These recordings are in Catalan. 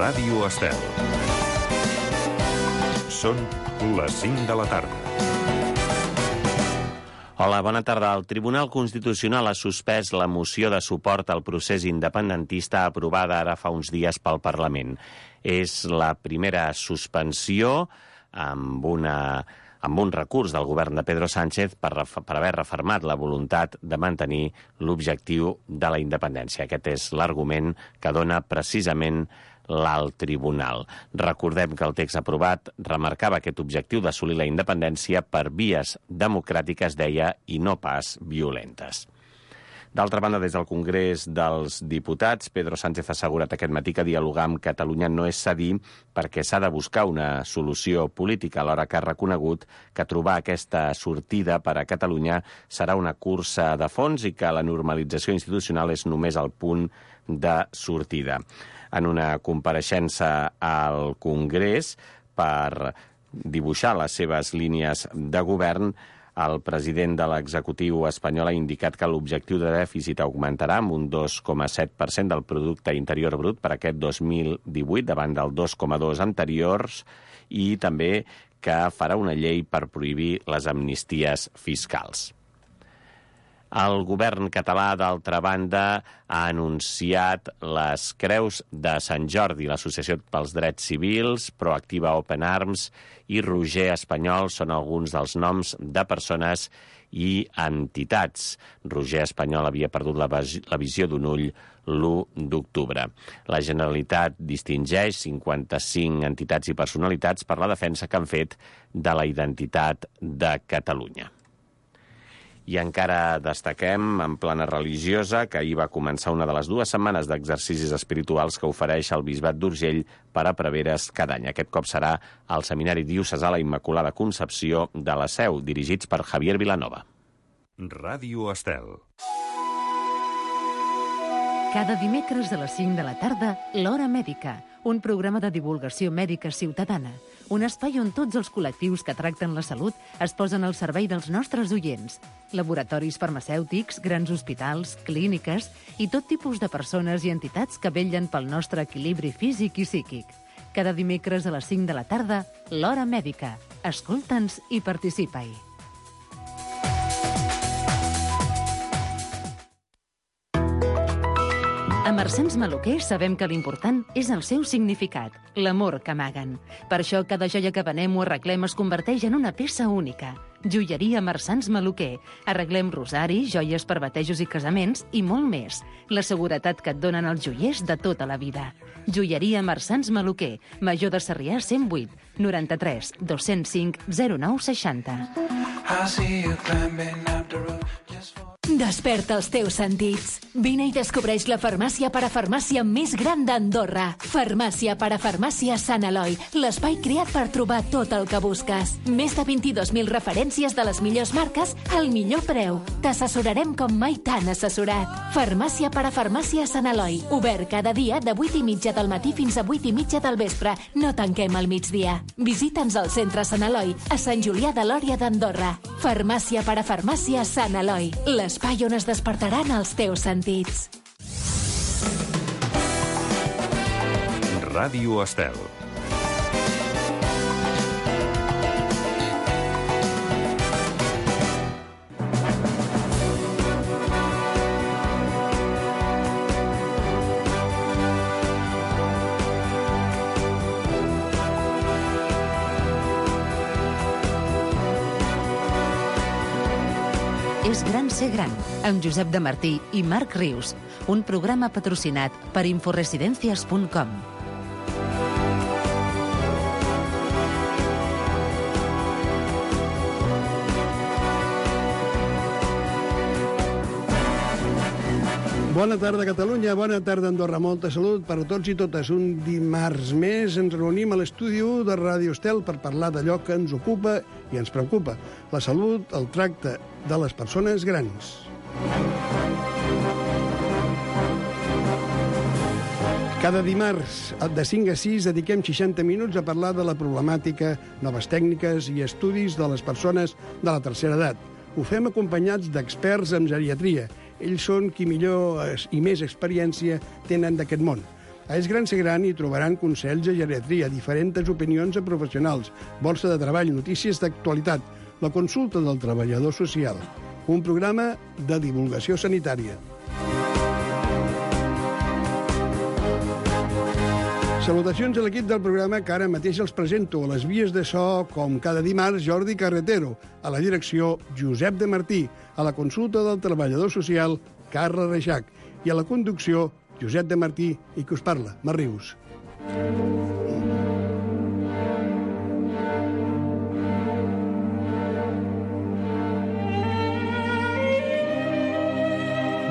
Ràdio Estel. Són les 5 de la tarda. Hola, bona tarda. El Tribunal Constitucional ha suspès la moció de suport al procés independentista aprovada ara fa uns dies pel Parlament. És la primera suspensió amb un recurs del govern de Pedro Sánchez per haver refermat la voluntat de mantenir l'objectiu de la independència. Aquest és l'argument que dona precisament l'alt tribunal. Recordem que el text aprovat remarcava aquest objectiu d'assolir la independència per vies democràtiques, deia, i no pas violentes. D'altra banda, des del Congrés dels Diputats, Pedro Sánchez ha assegurat aquest matí que dialogar amb Catalunya no és cedir perquè s'ha de buscar una solució política, alhora que ha reconegut que trobar aquesta sortida per a Catalunya serà una cursa de fons i que la normalització institucional és només el punt de sortida. En una compareixença al Congrés per dibuixar les seves línies de govern, el president de l'executiu espanyol ha indicat que l'objectiu de dèficit augmentarà amb un 2,7% del producte interior brut per aquest 2018 davant del 2,2 anteriors i també que farà una llei per prohibir les amnisties fiscals. El govern català, d'altra banda, ha anunciat les Creus de Sant Jordi. L'Associació pels Drets Civils, Proactiva Open Arms i Roger Espanyol són alguns dels noms de persones i entitats. Roger Espanyol havia perdut la visió d'un ull l'1 d'octubre. La Generalitat distingeix 55 entitats i personalitats per la defensa que han fet de la identitat de Catalunya. I encara destaquem, en plana religiosa, que ahir va començar una de les 2 setmanes d'exercicis espirituals que ofereix el Bisbat d'Urgell per a preveres cada any. Aquest cop serà al Seminari Diocesà la Immaculada Concepció de la Seu, dirigits per Javier Vilanova. Ràdio Estel. Cada dimecres a les 5 de la tarda, l'Hora Mèdica, un programa de divulgació mèdica ciutadana. Un espai on tots els col·lectius que tracten la salut es posen al servei dels nostres oients. Laboratoris farmacèutics, grans hospitals, clíniques i tot tipus de persones i entitats que vetllen pel nostre equilibri físic i psíquic. Cada dimecres a les 5 de la tarda, l'Hora Mèdica. Escolta'ns i participa-hi. A Marsans Maluquer sabem que l'important és el seu significat, l'amor que amaguen. Per això cada joia que venem o arreglem es converteix en una peça única. Joieria Marsans Maluquer. Arreglem rosaris, joies per batejos i casaments i molt més. La seguretat que et donen els joiers de tota la vida. Joieria Marsans Maluquer. Major de Sarrià 108 93 205 0960. Desperta els teus sentits. Vine i descobreix la farmàcia parafarmàcia més gran d'Andorra. Farmàcia parafarmàcia Sant Eloi, l'espai creat per trobar tot el que busques. Més de 22.000 referències de les millors marques al millor preu. T'assessorarem com mai t'han assessorat. Farmàcia parafarmàcia Sant Eloi, obert cada dia de 8:30 del matí fins a 8:30 del vespre. No tanquem al migdia. Visita'ns al centre Sant Eloi, a Sant Julià de Lòria d'Andorra. Farmàcia parafarmàcia Sant Eloi, l'espai on es despertaran els teus sentits. Ràdio Estel. És gran ser gran, amb Josep de Martí i Marc Rius, un programa patrocinat per inforesidencias.com. Bona tarda, Catalunya. Bona tarda, Andorra. Molta salut per a tots i totes. Un dimarts més ens reunim a l'estudi de Ràdio Estel per parlar d'allò que ens ocupa i ens preocupa. La salut, el tracte de les persones grans. Cada dimarts, de 5 a 6, dediquem 60 minuts a parlar de la problemàtica, noves tècniques i estudis de les persones de la tercera edat. Ho fem acompanyats d'experts en geriatria. Ells són qui millor i més experiència tenen d'aquest món. A És Gran Ser Gran hi trobaran consells de geriatria, diferents opinions a professionals, borsa de treball, notícies d'actualitat, la consulta del treballador social, un programa de divulgació sanitària. Salutacions a l'equip del programa que ara mateix els presento. A les vies de so, com cada dimarts, Jordi Carretero. A la direcció, Josep de Martí. A la consulta del treballador social, Carla Reixac. I a la conducció, Josep de Martí i qui us parla, Mar Rius.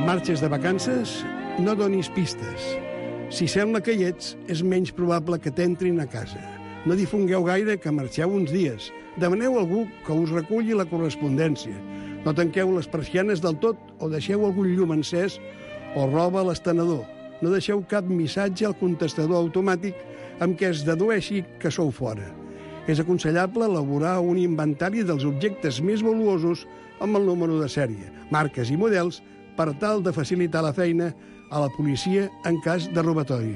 Marxes de vacances? No donis pistes. Si sembla que hi ets, és menys probable que t'entrin a casa. No difongueu gaire que marxeu uns dies. Demaneu a algú que us reculli la correspondència. No tanqueu les persianes del tot o deixeu algun llum encès o roba a l'estenedor. No deixeu cap missatge al contestador automàtic amb què es dedueixi que sou fora. És aconsellable elaborar un inventari dels objectes més valuosos amb el número de sèrie, marques i models per tal de facilitar la feina a la policia en cas de robatori.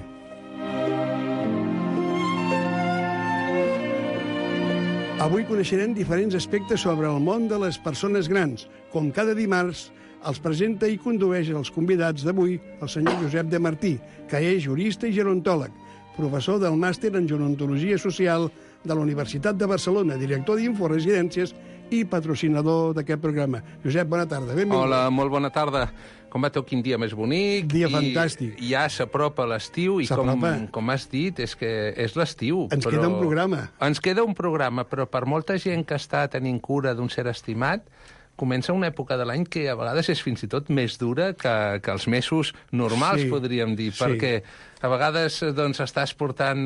Avui coneixerem diferents aspectes sobre el món de les persones grans. Com cada dimarts, els presenta i condueix els convidats d'avui el senyor Josep de Martí, que és jurista i gerontòleg, professor del màster en gerontologia social de la Universitat de Barcelona, director d'Inforesidències i patrocinador d'aquest programa. Josep, bona tarda, benvingut. Hola, molt bona tarda. Com va tot, quin dia més bonic. Dia fantàstic. I ja s'apropa l'estiu i com has dit, és que és l'estiu. Ens queda un programa. Ens queda un programa, però per molta gent que està tenint cura d'un ser estimat, comença una època de l'any que a vegades és fins i tot més dura que els mesos normals, sí, podríem dir, perquè a vegades doncs,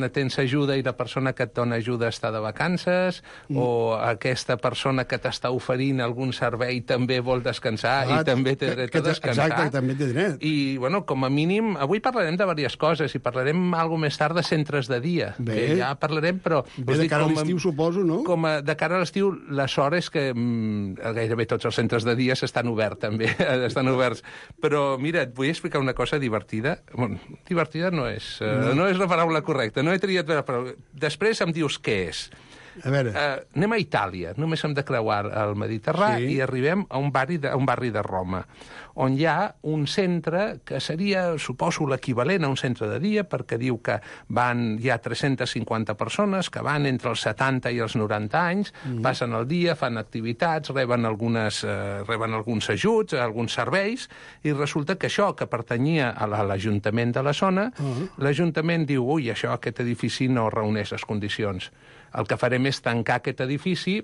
tens ajuda i la persona que et dona ajuda està de vacances, o aquesta persona que t'està oferint algun servei també vol descansar i també té dret a descansar. Exacte, també té dret. I, bueno, com a mínim, avui parlarem de diverses coses i parlarem alguna més tard de centres de dia. Bé. Que ja parlarem, però... Bé, de cara a l'estiu, suposo, no? De cara a l'estiu, la sort és que gairebé tots els centres de dia estan oberts, també. Estan oberts. Però, mira, et vull explicar una cosa divertida. Bueno, divertida no és la paraula correcta. No he triat la paraula. Després em dius què és. A veure. Anem a Itàlia. Només hem de creuar el Mediterrani i arribem a un barri de Roma, on hi ha un centre que seria, suposo, l'equivalent a un centre de dia, perquè diu que hi ha 350 persones que van entre els 70 i els 90 anys, passen el dia, fan activitats, reben alguns ajuts, alguns serveis, i resulta que això, que pertanyia a l'Ajuntament de la zona, l'Ajuntament diu, ui, aquest edifici no reuneix les condicions. El que farem és tancar aquest edifici,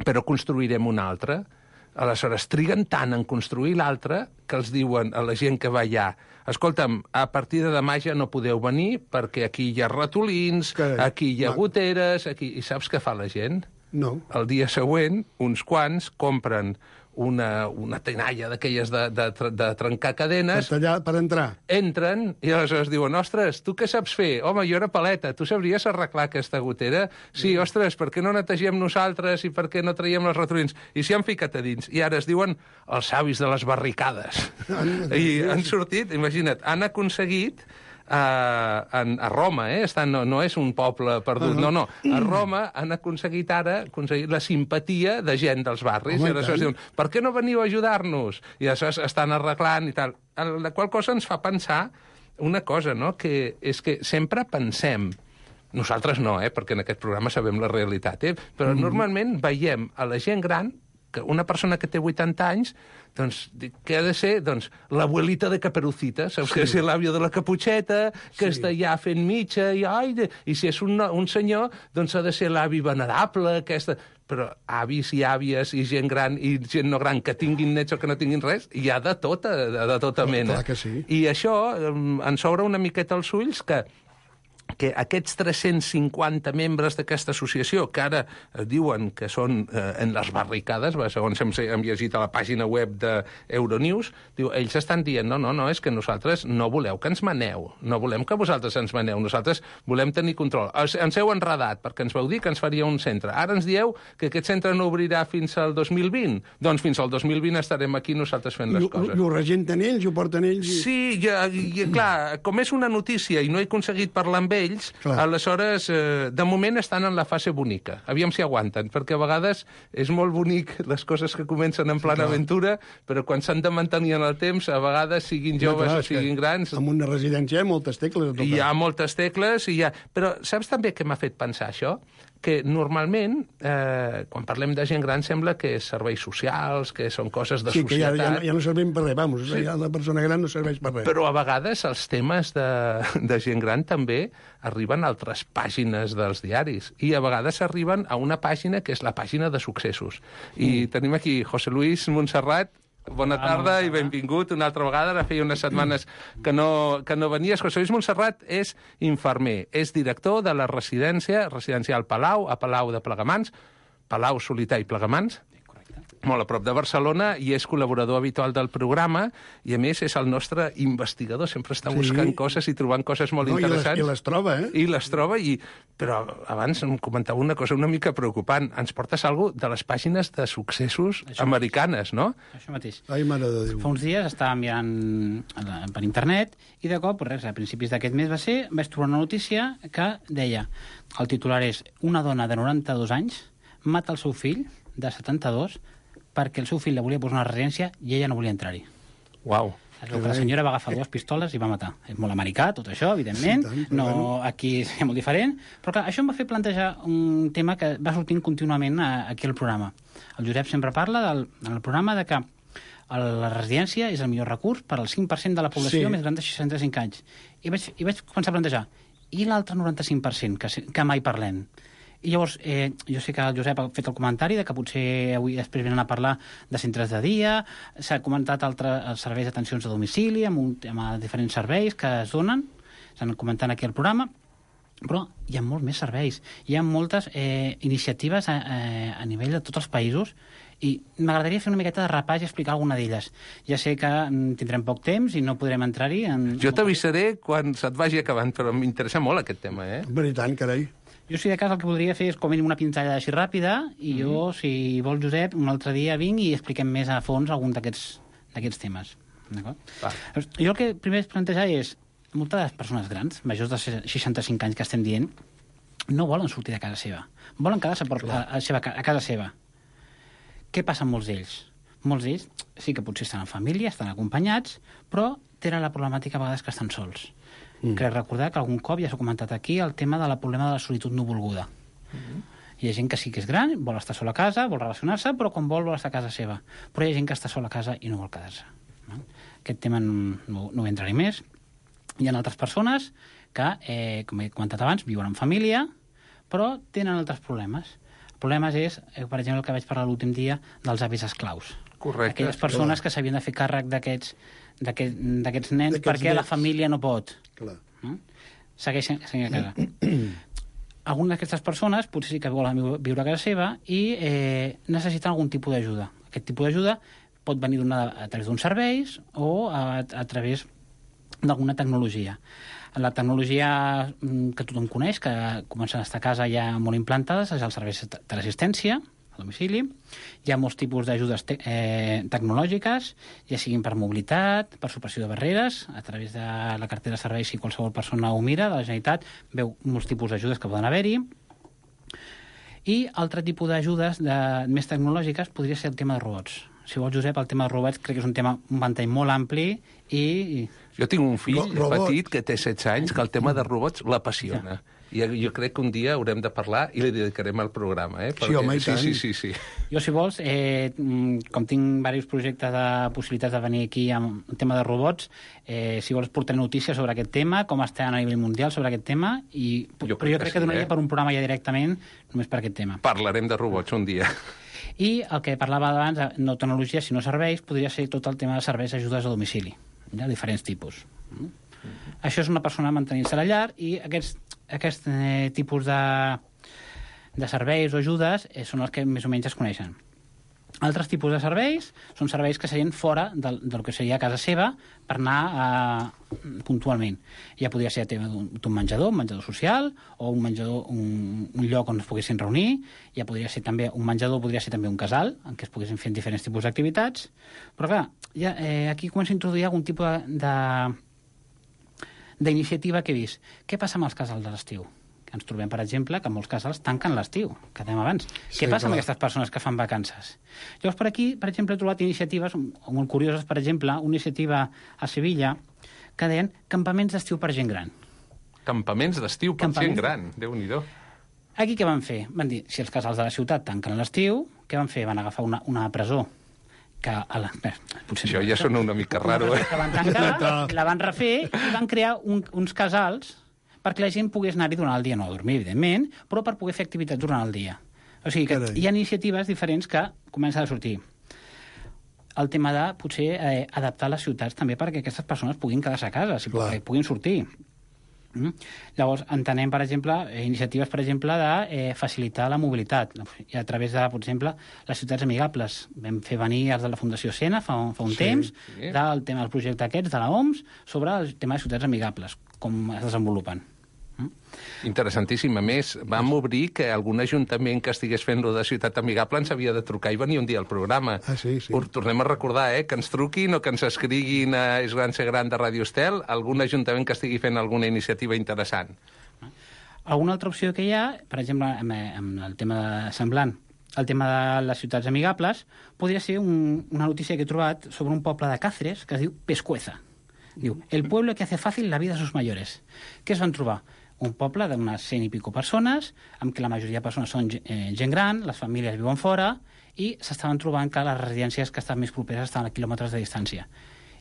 però construirem un altre. Aleshores, triguen tant en construir l'altre que els diuen a la gent que va allà, escolta'm, a partir de demà ja no podeu venir perquè aquí hi ha ratolins, aquí hi ha goteres, aquí... I saps què fa la gent? No. El dia següent, uns quants compren una tenalla d'aquelles de trencar cadenes. Per entrar. Entren i aleshores diuen, ostres, tu què saps fer? Home, jo era paleta, tu sabries arreglar aquesta gotera? Sí, ostres, per què no netegem nosaltres i per què no traiem els ratolins? I s'hi han ficat a dins. I ara es diuen els savis de les barricades. I han sortit, imagina't, han aconseguit a Roma, no és un poble perdut, no. A Roma han aconseguit la simpatia de gent dels barris. I aleshores diuen, per què no veniu a ajudar-nos? I aleshores estan arreglant i tal. La qual cosa ens fa pensar una cosa, no?, que és que sempre pensem, nosaltres no, perquè en aquest programa sabem la realitat, però normalment veiem a la gent gran, que una persona que té 80 anys, doncs, què ha de ser? Doncs, l'abuelita de Caperucita, saps? Que és l'àvia de la Caputxeta, que està allà fent mitja, i si és un senyor, doncs ha de ser l'avi venerable, aquesta... Però avis i àvies i gent gran i gent no gran que tinguin nets o que no tinguin res, hi ha de tota mena. Clar que sí. I això ens obre una miqueta els ulls que que aquests 350 membres d'aquesta associació, que ara diuen que són en les barricades, segons hem llegit a la pàgina web d'Euronews, ells estan dient, no, és que nosaltres no voleu que ens maneu, no volem que vosaltres ens maneu, nosaltres volem tenir control. Ens heu enredat, perquè ens vau dir que ens faria un centre. Ara ens dieu que aquest centre no obrirà fins al 2020. Doncs fins al 2020 estarem aquí nosaltres fent les coses. I ho regenten ells, ho porten ells? Sí, clar, com és una notícia i no he aconseguit parlar amb ells, aleshores, de moment estan en la fase bonica. Aviam si aguanten, perquè a vegades és molt bonic les coses que comencen en plana aventura, però quan s'han de mantenir en el temps, a vegades siguin joves o siguin grans... En una residència hi ha moltes tecles. Hi ha moltes tecles, però saps també què m'ha fet pensar això? Que normalment, quan parlem de gent gran, sembla que és serveis socials, que són coses de societat... Sí, que ja no servim per res, vamos, ja la persona gran no serveix per res. Però a vegades els temes de gent gran també arriben a altres pàgines dels diaris, i a vegades arriben a una pàgina que és la pàgina de successos. I tenim aquí José Luis Montserrat. Bona tarda i benvingut una altra vegada. Ara feia unes setmanes que no venies. José Luis Montserrat és infermer, és director de la residència residencial Palau, a Palau de Plegamans, Palau Solità i Plegamans, molt a prop de Barcelona, i és col·laborador habitual del programa, i a més és el nostre investigador, sempre està buscant coses i trobant coses molt interessants. I les troba, I les troba, però abans em comentava una cosa una mica preocupant. Ens portes alguna cosa de les pàgines de successos americanes, no? Això mateix. Ai, mare de Déu. Fa uns dies estava mirant per internet i de cop, a principis d'aquest mes vaig trobar una notícia que deia, el titular és: una dona de 92 anys mata el seu fill de 72 perquè el seu fill la volia posar a una residència i ella no volia entrar-hi. Uau. La senyora va agafar 2 pistoles i va matar. És molt americà, tot això, evidentment. Aquí és molt diferent. Però clar, això em va fer plantejar un tema que va sortint contínuament aquí al programa. El Josep sempre parla en el programa de que la residència és el millor recurs per al 5% de la població més gran de 65 anys. I vaig començar a plantejar, i l'altre 95% que mai parlem? I llavors, jo sé que el Josep ha fet el comentari de que potser avui després venen a parlar de centres de dia, s'ha comentat altres serveis d'atencions a domicili, amb diferents serveis que es donen, s'han comentat aquí al programa, però hi ha molts més serveis. Hi ha moltes iniciatives a nivell de tots els països, i m'agradaria fer una miqueta de repàs i explicar alguna d'elles. Ja sé que tindrem poc temps i no podrem entrar-hi. Jo t'avisaré quan se't vagi acabant, però m'interessa molt aquest tema, Per tant, carai. Jo, si de cas, el que voldria fer és com una pinzellada així ràpida, i jo, si vol, Josep, un altre dia vinc i expliquem més a fons algun d'aquests temes. D'acord? Jo el que primer és plantejar és, moltes de les persones grans, majors de 65 anys que estem dient, no volen sortir de casa seva. Volen quedar-se a casa seva. Què passa amb molts d'ells? Molts d'ells sí que potser estan en família, estan acompanyats, però tenen la problemàtica a vegades que estan sols. Crec recordar que algun cop ja s'ha comentat aquí el tema del problema de la solitud no volguda. Hi ha gent que sí que és gran, vol estar sola a casa, vol relacionar-se, però quan vol estar a casa seva. Però hi ha gent que està sola a casa i no vol quedar-se. Aquest tema no hi entraré més. Hi ha altres persones que, com he comentat abans, viuen en família, però tenen altres problemes. El problema és, per exemple, el que vaig parlar l'últim dia dels avis esclaus. Correcte. Aquelles persones que s'havien de fer càrrec d'aquests nens perquè la família no pot. Clar. Segueixen a casa. Algunes d'aquestes persones potser sí que volen viure a casa seva i necessiten algun tipus d'ajuda. Aquest tipus d'ajuda pot venir a través d'uns serveis o a través d'alguna tecnologia. La tecnologia que tothom coneix, que comencen a estar a casa ja molt implantades, és els serveis de l'assistència a domicili. Hi ha molts tipus d'ajudes tecnològiques, ja siguin per mobilitat, per superació de barreres, a través de la cartera de serveis, si qualsevol persona ho mira, de la Generalitat, veu molts tipus d'ajudes que poden haver-hi. I altre tipus d'ajudes més tecnològiques podria ser el tema de robots. Si vols, Josep, el tema de robots crec que és un ventall molt ampli i... Jo tinc un fill petit que té 16 anys que el tema de robots l'apassiona. I jo crec que un dia haurem de parlar i li dedicarem al programa, Perquè... Sí, home, i tant. Sí. Jo, si vols, com tinc diversos projectes de possibilitats de venir aquí amb el tema de robots, si vols portar notícies sobre aquest tema, com està a nivell mundial sobre aquest tema, però jo crec que donaria per un programa ja directament només per aquest tema. Parlarem de robots un dia. I el que parlava abans, no tecnologia, sinó serveis, podria ser tot el tema de serveis d'ajudes a domicili, de diferents tipus. Això és una persona mantenint-se a la llar i aquests aquest tipus de serveis o ajudes són els que més o menys es coneixen. Altres tipus de serveis són serveis que serien fora del que seria a casa seva per anar puntualment. Ja podria ser un menjador social, o un lloc on es poguessin reunir, ja podria ser també un menjador, podria ser també un casal, en què es poguessin fer diferents tipus d'activitats. Però clar, ja, aquí comença a introduir algun tipus d'iniciativa que he vist. Què passa amb els casals de l'estiu? Ens trobem, per exemple, que molts casals tanquen l'estiu, que dèiem abans. Què passa amb aquestes persones que fan vacances? Llavors, per aquí, per exemple, he trobat iniciatives molt curioses, per exemple, una iniciativa a Sevilla que deien campaments d'estiu per gent gran. Campaments d'estiu per gent gran, Déu-n'hi-do. Aquí què van fer? Van dir, si els casals de la ciutat tanquen l'estiu, què van fer? Van agafar una presó que això ja sona una mica raro, que van tancar, la van refer i van crear uns casals perquè la gent pogués anar-hi durant el dia, no a dormir, evidentment, però per poder fer activitats durant el dia. O sigui que hi ha iniciatives diferents que comencen a sortir. El tema de, potser, adaptar les ciutats també perquè aquestes persones puguin quedar-se a casa, perquè puguin sortir. Llavors, entenem, per exemple, iniciatives, per exemple, de facilitar la mobilitat. I a través de, per exemple, les ciutats amigables. Vam fer venir els de la Fundació Sena fa un temps, del tema del projecte aquests, de l'OMS, sobre el tema de ciutats amigables, com es desenvolupen. Interessantíssim. A més, vam obrir que algun ajuntament que estigués fent-lo de ciutat amigable ens havia de trucar i venir un dia al programa. Sí. Tornem a recordar, que ens truquin o que ens escriguin a És Gran Ser Gran de Ràdio Estel algun ajuntament que estigui fent alguna iniciativa interessant. Alguna altra opció que hi ha, per exemple, amb el tema semblant, el tema de les ciutats amigables, podria ser una notícia que he trobat sobre un poble de Cáceres que es diu Pescueza. Diu, el pueblo que hace fácil la vida a sus mayores. Què es van trobar? Un poble d'unes 100 i pico persones, amb què la majoria de persones són gent gran, les famílies viuen fora, i s'estaven trobant que les residències que estan més properes estaven a quilòmetres de distància.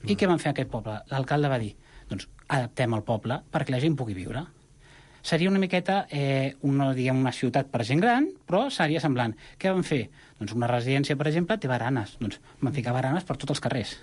I què van fer aquest poble? L'alcalde va dir, doncs adaptem el poble perquè la gent pugui viure. Seria una miqueta una ciutat per gent gran, però seria semblant. Què van fer? Doncs una residència, per exemple, té baranes. Doncs van ficar baranes per tots els carrers.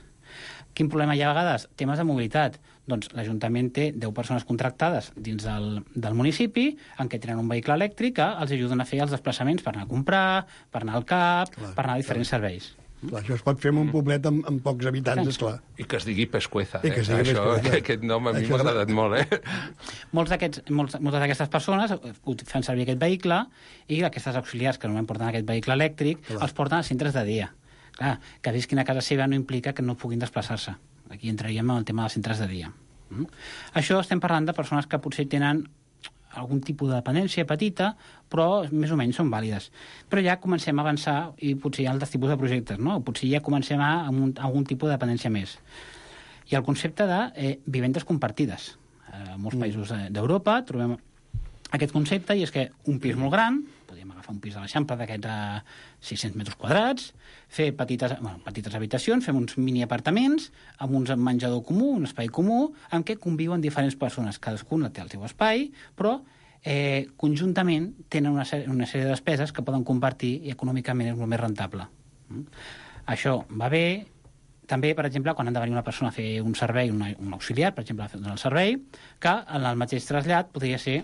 Quin problema hi ha a vegades? Temes de mobilitat. Doncs l'Ajuntament té 10 persones contractades dins del municipi en què tenen un vehicle elèctric que els ajuden a fer els desplaçaments per anar a comprar, per anar al CAP, per anar a diferents serveis. Clar, això es pot fer en un poblet amb pocs habitants, esclar. I que es digui Pescueza. Pescueza. Aquest nom a mi m'ha agradat molt, Moltes d'aquestes persones fan servir aquest vehicle i aquestes auxiliars que no porten aquest vehicle elèctric els porten a centres de dia. Clar, que visquin a casa seva no implica que no puguin desplaçar-se. Aquí entraríem en el tema dels centres de dia. Això estem parlant de persones que potser tenen algun tipus de dependència petita, però més o menys són vàlides. Però ja comencem a avançar i potser hi ha altres tipus de projectes, no? Potser ja comencem a algun tipus de dependència més. Hi ha el concepte de vivendes compartides. A molts països d'Europa trobem aquest concepte i és que un pis molt gran, podríem agafar un pis de l'Eixample d'aquests 600 metres quadrats, fer petites habitacions, fem uns mini apartaments amb un menjador comú, un espai comú, en què conviuen diferents persones. Cadascuna té el seu espai, però conjuntament tenen una sèrie de despeses que poden compartir i econòmicament és molt més rentable. Això va bé. També, per exemple, quan han de venir una persona a fer un servei, un auxiliar, per exemple, a fer el servei, que en el mateix trasllat podria ser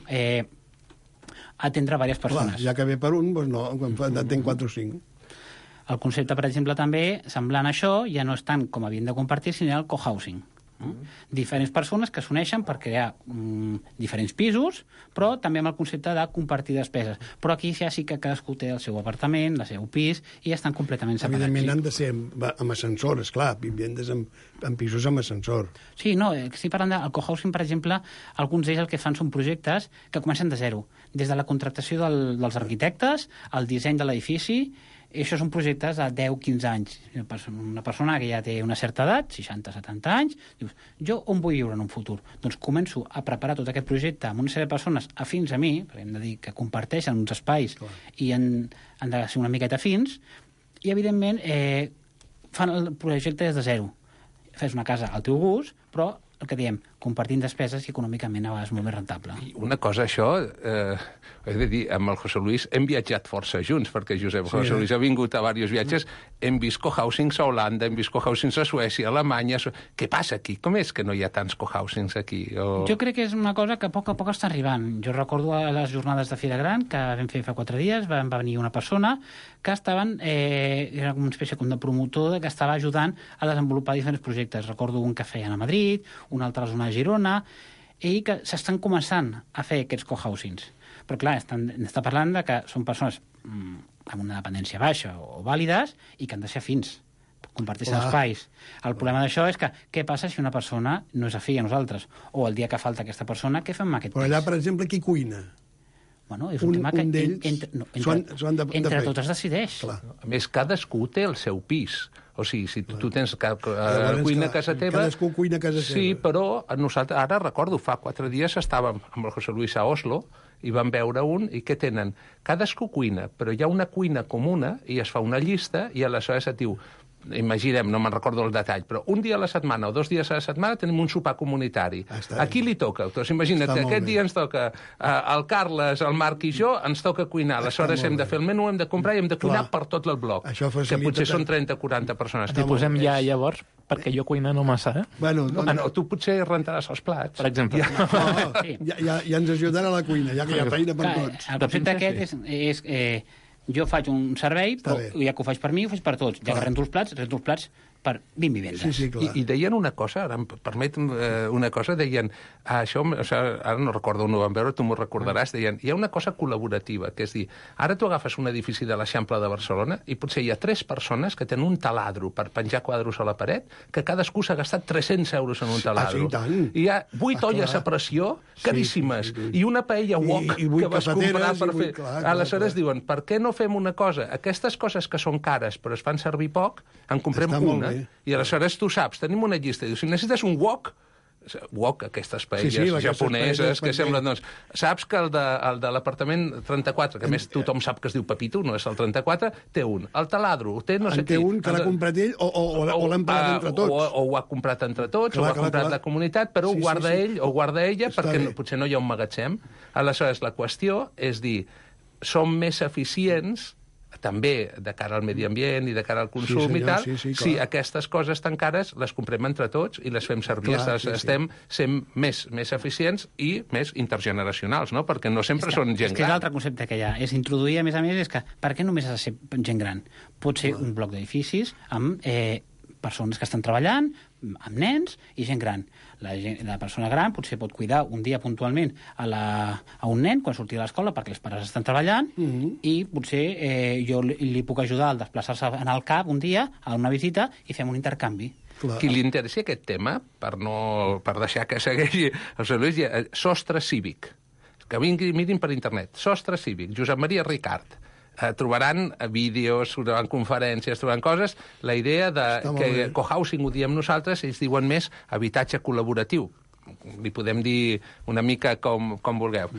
atendre diverses persones. Clar, ja que ve per un, doncs no, quan atén 4 o 5. El concepte, per exemple, també, semblant a això, ja no és tant com havien de compartir, sinó el cohousing. Diferents persones que s'uneixen per crear diferents pisos, però també amb el concepte de compartir despeses. Però aquí ja sí que cadascú té el seu apartament, el seu pis, i estan completament separats. Evidentment han de ser amb ascensor, esclar, vivendes amb pisos amb ascensor. Sí, no, estic parlant del cohousing, per exemple, alguns d'ells el que fan són projectes que comencen de zero, des de la contractació dels arquitectes, el disseny de l'edifici. I això són projectes de 10-15 anys. Una persona que ja té una certa edat, 60-70 anys, dius, jo on vull viure en un futur? Doncs començo a preparar tot aquest projecte amb una sèrie de persones afins a mi, perquè hem de dir que comparteixen uns espais i han de ser una miqueta afins, i evidentment fan el projecte des de zero. Fes una casa al teu gust, però el que diem, compartint despeses i econòmicament a vegades molt més rentable. I una cosa, això, he de dir, amb el José Luis hem viatjat força junts, perquè José Luis ha vingut a diversos viatges, hem vist cohousings a Holanda, hem vist cohousings a Suècia, a Alemanya... Què passa aquí? Com és que no hi ha tants cohousings aquí? Jo crec que és una cosa que a poc està arribant. Jo recordo a les jornades de Fira Gran, que vam fer fa 4 dies, va venir una persona que estaven, era una espècie com de promotor que estava ajudant a desenvolupar diferents projectes. Recordo un que feien a Madrid, un altre a la zona de Girona, i que s'estan començant a fer aquests cohousings. Però clar, està parlant de que són persones amb una dependència baixa o vàlides i que han de ser afins, comparteixen espais. El problema d'això és que què passa si una persona no és afí a nosaltres? O el dia que falta aquesta persona, què fem amb aquest Però allà, per exemple, qui cuina? Bueno, és un tema que entre tots es decideix. Clar. A més, cadascú té el seu pis. O sigui, si tu tens cuina a casa teva... Cadascú cuina a casa seva. Sí, però nosaltres, ara recordo, fa 4 dies estàvem amb el José Luis a Oslo i vam veure un, i què tenen? Cadascú cuina, però hi ha una cuina comuna i es fa una llista i aleshores et diu... Imaginem, no me'n recordo el detall, però un dia a la setmana o 2 dies a la setmana tenim un sopar comunitari. A qui li toca? Doncs imagina't, aquest dia ens toca el Carles, el Marc i jo, ens toca cuinar. Aleshores hem de fer el menú, hem de comprar i hem de cuinar per tot el bloc. Que potser són 30 o 40 persones. T'hi posem ja llavors, perquè jo cuinar no massa, Bueno, no, tu potser rentaràs els plats. Per exemple. Ja ens ajudarà a la cuina, ja que hi ha feina per tots. El concepte aquest és jo faig un servei, però ja que ho faig per mi, ho faig per tots. Ja que rento els plats per 20 vivendes. Sí, clar. I deien una cosa, ara em permet una cosa, deien, això, ara no recordo on ho vam veure, tu m'ho recordaràs, deien, hi ha una cosa col·laborativa, que és dir, ara tu agafes un edifici de l'Eixample de Barcelona i potser hi ha 3 persones que tenen un taladro per penjar quadros a la paret, que cadascú s'ha gastat 300 euros en un taladro. I hi ha 8 olles a pressió caríssimes i una paella wok que vas comprar per fer... Aleshores diuen, per què no fem una cosa? Aquestes coses que són cares però es fan servir poc, en comprem una. I aleshores tu saps, tenim una llista, i dius, si necessites un wok, aquestes paelles japoneses que semblen, doncs, saps que el de l'apartament 34, que a més tothom sap que es diu Pepito, no és el 34, té un. El taladro té no sé qui. Té un que l'ha comprat ell o l'hem pagat entre tots. O ho ha comprat entre tots, o ho ha comprat la comunitat, però ho guarda ell o guarda ella perquè potser no hi ha un magatzem. Aleshores, la qüestió és dir, som més eficients també de cara al medi ambient i de cara al consum i tal, si aquestes coses tan cares les comprem entre tots i les fem servir. Estem sent més eficients i més intergeneracionals, no? Perquè no sempre són gent gran. És que és l'altre concepte que hi ha. És introduir, a més, és que per què només ha de ser gent gran? Pot ser un bloc d'edificis amb persones que estan treballant, amb nens i gent gran. La persona gran potser pot cuidar un dia puntualment a un nen quan surti de l'escola perquè els pares estan treballant i potser jo li puc ajudar al desplaçar-se en el CAP un dia a una visita i fem un intercanvi. Qui li interessi aquest tema, per deixar que segueixi el José Luis, Sostre Cívic. Que mirin per internet. Sostre Cívic, Josep Maria Ricart. Trobaran vídeos, trobaran conferències, trobaran coses. La idea que cohousing ho diem nosaltres, ells diuen més habitatge col·laboratiu. Li podem dir una mica com vulgueu.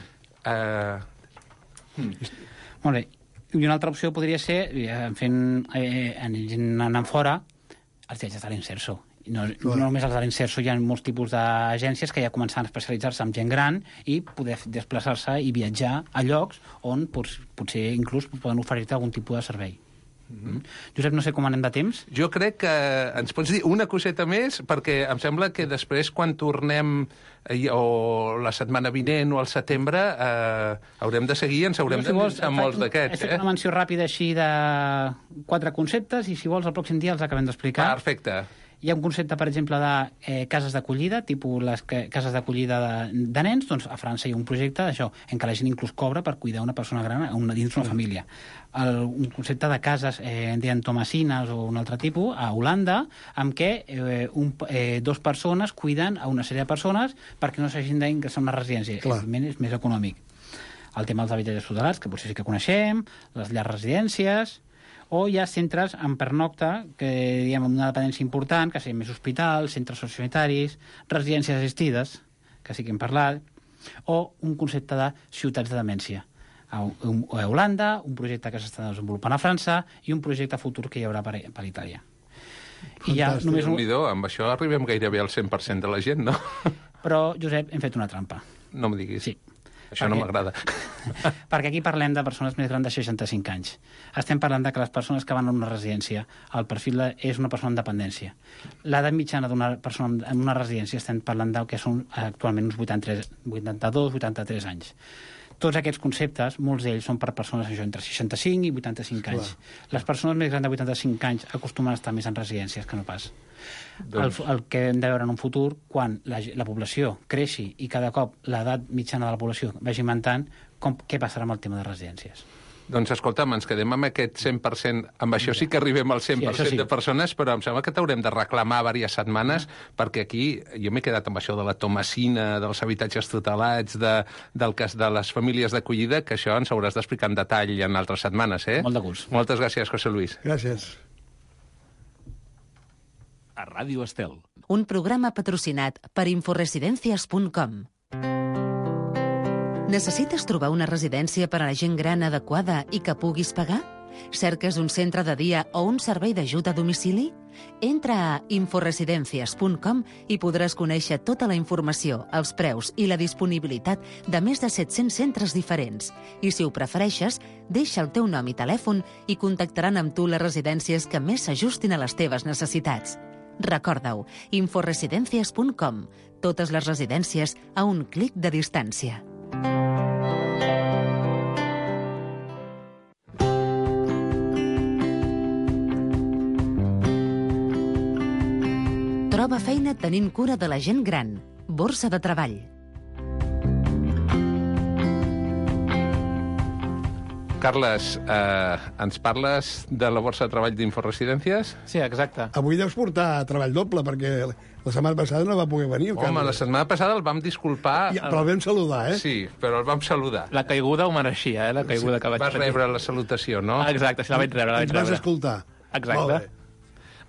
Molt bé. I una altra opció podria ser, anant fora, els viatges de l'Inserso. No només els de l'Inserso, hi ha molts tipus d'agències que ja començaran a especialitzar-se en gent gran i poder desplaçar-se i viatjar a llocs on potser inclús poden oferir-te algun tipus de servei. Josep, no sé com anem de temps. Jo crec que ens pots dir una coseta més, perquè em sembla que després, quan tornem o la setmana vinent o al setembre, haurem de seguir i ens haurem de pensar molts d'aquests. He fet una menció ràpida així de 4 conceptes i, si vols, el pròxim dia els acabem d'explicar. Perfecte. Hi ha un concepte, per exemple, de cases d'acollida, tipus les cases d'acollida de nens. Doncs a França hi ha un projecte d'això, en què la gent inclús cobra per cuidar una persona gran dins d'una família. Un concepte de cases, deien tomasines o un altre tipus, a Holanda, amb què 2 persones cuiden a una sèrie de persones perquè no s'hagin d'ingressar a una residència. Evidentment és més econòmic. El tema dels habitatges tutelats, que potser sí que coneixem, les llars residències, o hi ha centres en pernocta, que diguem amb una dependència important, que siguin més hospitals, centres sociosanitaris, residències assistides, que sí que hem parlat, o un concepte de ciutats de demència. A Holanda, un projecte que s'està desenvolupant a França i un projecte futur que hi haurà per Itàlia. I ja només amb això arribem gairebé al 100% de la gent, no? Però, Josep, hem fet una trampa. No m'ho diguis. Sí. Això no m'agrada. Perquè aquí parlem de persones més grans de 65 anys. Estem parlant de que les persones que van a una residència, el perfil és una persona amb dependència. L'edat mitjana d'una persona en una residència estem parlant del que són actualment uns 82-83 anys. Tots aquests conceptes, molts d'ells són per persones entre 65 i 85 anys. Les persones més grans de 85 anys acostumen a estar més en residències que no pas. El que hem de veure en un futur, quan la població creixi i cada cop l'edat mitjana de la població vagi augmentant, què passarà amb el tema de residències? Doncs escolta'm, ens quedem amb aquest 100%, amb això sí que arribem al 100% de persones, però em sembla que t'haurem de reclamar diverses setmanes, perquè aquí jo m'he quedat amb això de la Tomasina, dels habitatges tutelats, del cas de les famílies d'acollida, que això ens hauràs d'explicar en detall en altres setmanes, eh? Molt de gust. Moltes gràcies, José Luis. Gràcies. A Ràdio Estel. Un programa patrocinat per inforesidencias.com. Necessites trobar una residència per a la gent gran adequada i que puguis pagar? Cerques un centre de dia o un servei d'ajut a domicili? Entra a inforesidencias.com i podràs conèixer tota la informació, els preus i la disponibilitat de més de 700 centres diferents. I si ho prefereixes, deixa el teu nom i telèfon i contactaran amb tu les residències que més s'ajustin a les teves necessitats. Recorda-ho, inforesidencias.com. Totes les residències a un clic de distància. Troba feina tenint cura de la gent gran. Borsa de treball. Carles, ens parles de la borsa de treball d'Inforesidències? Sí, exacte. Avui deus portar treball doble, perquè la setmana passada no va poder venir. Home, la setmana passada el vam disculpar... Ja, però el vam saludar, eh? Sí, però el vam saludar. La caiguda ho mereixia, la caiguda que vaig Vas rebre la salutació, no? Exacte, sí, la vaig rebre. Ens vas escoltar. Exacte.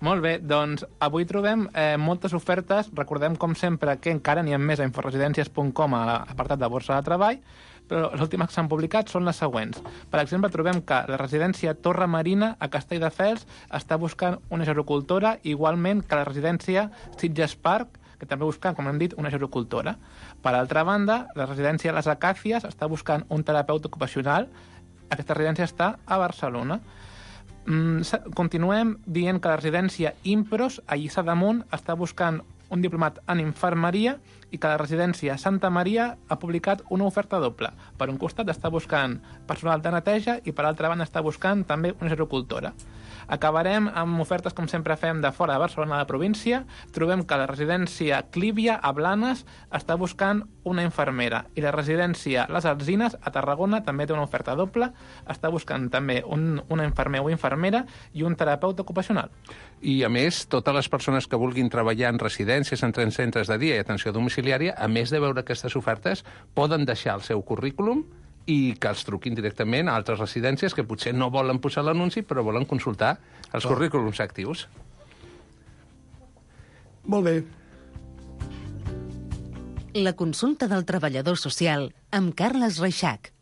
Molt bé, doncs avui trobem moltes ofertes. Recordem, com sempre, que encara n'hi ha més a inforesidències.com a l'apartat de borsa de treball, però les últimes que s'han publicat són les següents. Per exemple, trobem que la residència Torre Marina a Castelldefels està buscant una gerocultora, igualment que la residència Sitges Park, que també busca, com hem dit, una gerocultora. Per altra banda, la residència Les Acàcies està buscant un terapeuta ocupacional. Aquesta residència està a Barcelona. Continuem dient que la residència Impros, a Lliçà d'Amunt, està buscant un diplomat en infermeria i que la residència Santa Maria ha publicat una oferta doble. Per un costat està buscant personal de neteja i per altra banda està buscant també una gerocultora. Acabarem amb ofertes, com sempre fem, de fora de Barcelona, de la província. Trobem que la residència Clívia, a Blanes, està buscant una infermera. I la residència Les Alzines, a Tarragona, també té una oferta doble. Està buscant també una infermer o infermera i un terapeuta ocupacional. I, a més, totes les persones que vulguin treballar en residències, en centres de dia i atenció domiciliària, a més de veure aquestes ofertes, poden deixar el seu currículum i que els truquin directament a altres residències que potser no volen posar l'anunci, però volen consultar els currículums actius. Molt bé. La consulta del treballador social amb Carles Reixac.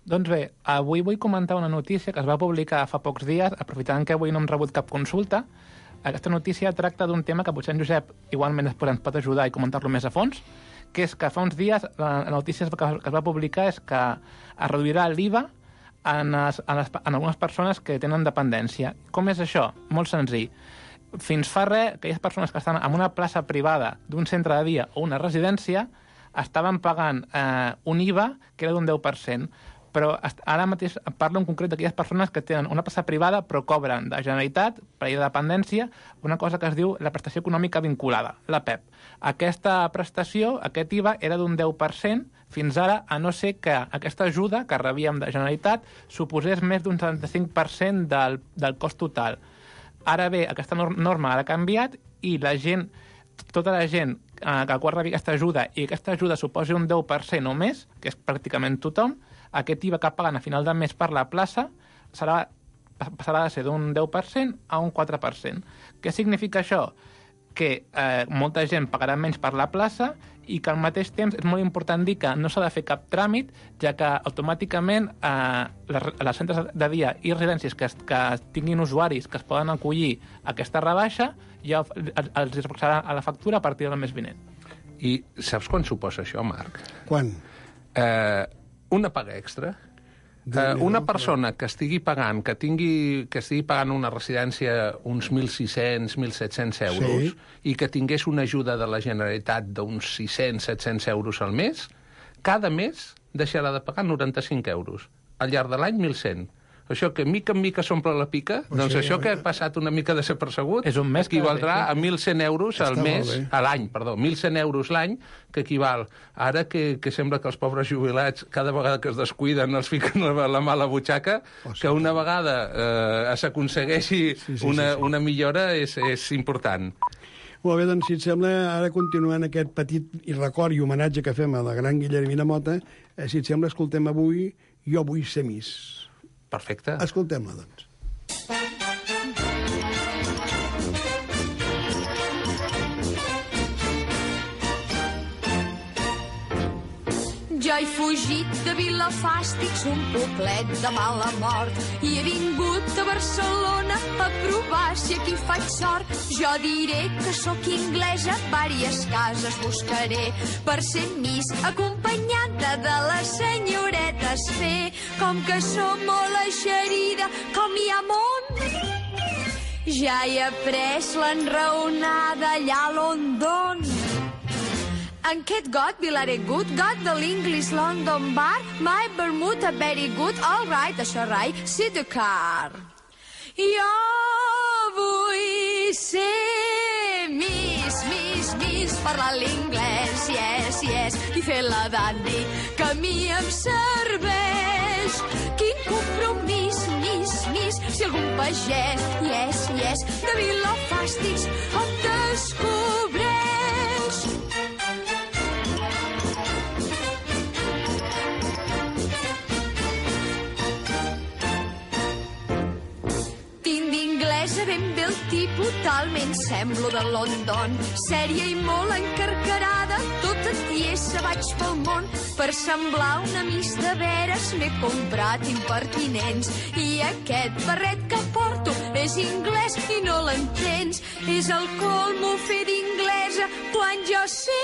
Doncs bé, avui vull comentar una notícia que es va publicar fa pocs dies, aprofitant que avui no hem rebut cap consulta. Aquesta notícia tracta d'un tema que potser en Josep igualment ens pot ajudar i comentar-lo més a fons, que és que fa uns dies la notícia que es va publicar és que es reduirà l'IVA en algunes persones que tenen dependència. Com és això? Molt senzill. Fins fa res, aquelles persones que estan en una plaça privada d'un centre de dia o una residència estaven pagant un IVA que era d'un 10%. Però ara mateix parlo en concret d'aquelles persones que tenen una plaça privada però cobren de Generalitat, per llei de dependència, una cosa que es diu la prestació econòmica vinculada, la PEP. Aquesta prestació, aquest IVA, era d'un 10% fins ara, a no ser que aquesta ajuda que rebíem de Generalitat suposés més d'un 75% del cost total. Ara bé, aquesta norma ha canviat i la gent, tota la gent que quan rebi aquesta ajuda i aquesta ajuda suposi un 10% o més, que és pràcticament tothom, aquest IVA que paguen a final de mes per la plaça passarà de ser d'un 10% a un 4%. Què significa això? Que molta gent pagarà menys per la plaça i que al mateix temps és molt important dir que no s'ha de fer cap tràmit, ja que automàticament les centres de dia i residències que tinguin usuaris que es poden acollir a aquesta rebaixa ja els passarà a la factura a partir del mes vinent. I saps quan suposa això, Marc? Quan? Una paga extra. Una persona que estigui pagant una residència uns 1.600, 1.700 euros i que tingués una ajuda de la Generalitat d'uns 600, 700 euros al mes, cada mes deixarà de pagar 95 euros. Al llarg de l'any, 1.100. Això que mica en mica s'omple la pica, doncs això que ha passat una mica desapercebut equivaldrà a 1.100 euros al mes, a l'any, perdó, 1.100 euros l'any, que equival. Ara que sembla que els pobres jubilats, cada vegada que es descuiden, els fiquen la mà a la butxaca, que una vegada s'aconsegueixi una millora és important. Molt bé, doncs, si et sembla, ara continuant aquest petit record i homenatge que fem a la gran Guillermina Mota, si et sembla, escoltem avui Jo vull ser Miss. Perfecte. Escoltem-la, doncs. Jo he fugit de Vilafàstics, un poblet de mala mort, i he vingut a Barcelona a provar si aquí faig sort. Jo diré que sóc inglesa, vàries cases buscaré per ser Miss, acompanyada de les senyoretes fer, com que som molt eixerida, com hi ha món. Ja he après l'enraonada allà a London. And Kate got Vilare good, got the English London bar, my Bermuda very good, all right, això rai, sit the car. Jo vull ser Miss, Miss, Miss, parlar l'inglès, yes, yes, i fer la dandy, que a mi em serveix. Quin compromís, Miss, Miss, si algun pagès, yes, yes, de Vilafàstics em descobreix. Ben bé el tipus, talment semblo de London. Sèria i molt encarcarada, tota tiesa vaig pel món. Per semblar una Miss de veres m'he comprat impertinents. I aquest barret que porto és anglès i no l'entens. És el colmo fer d'inglesa quan jo sé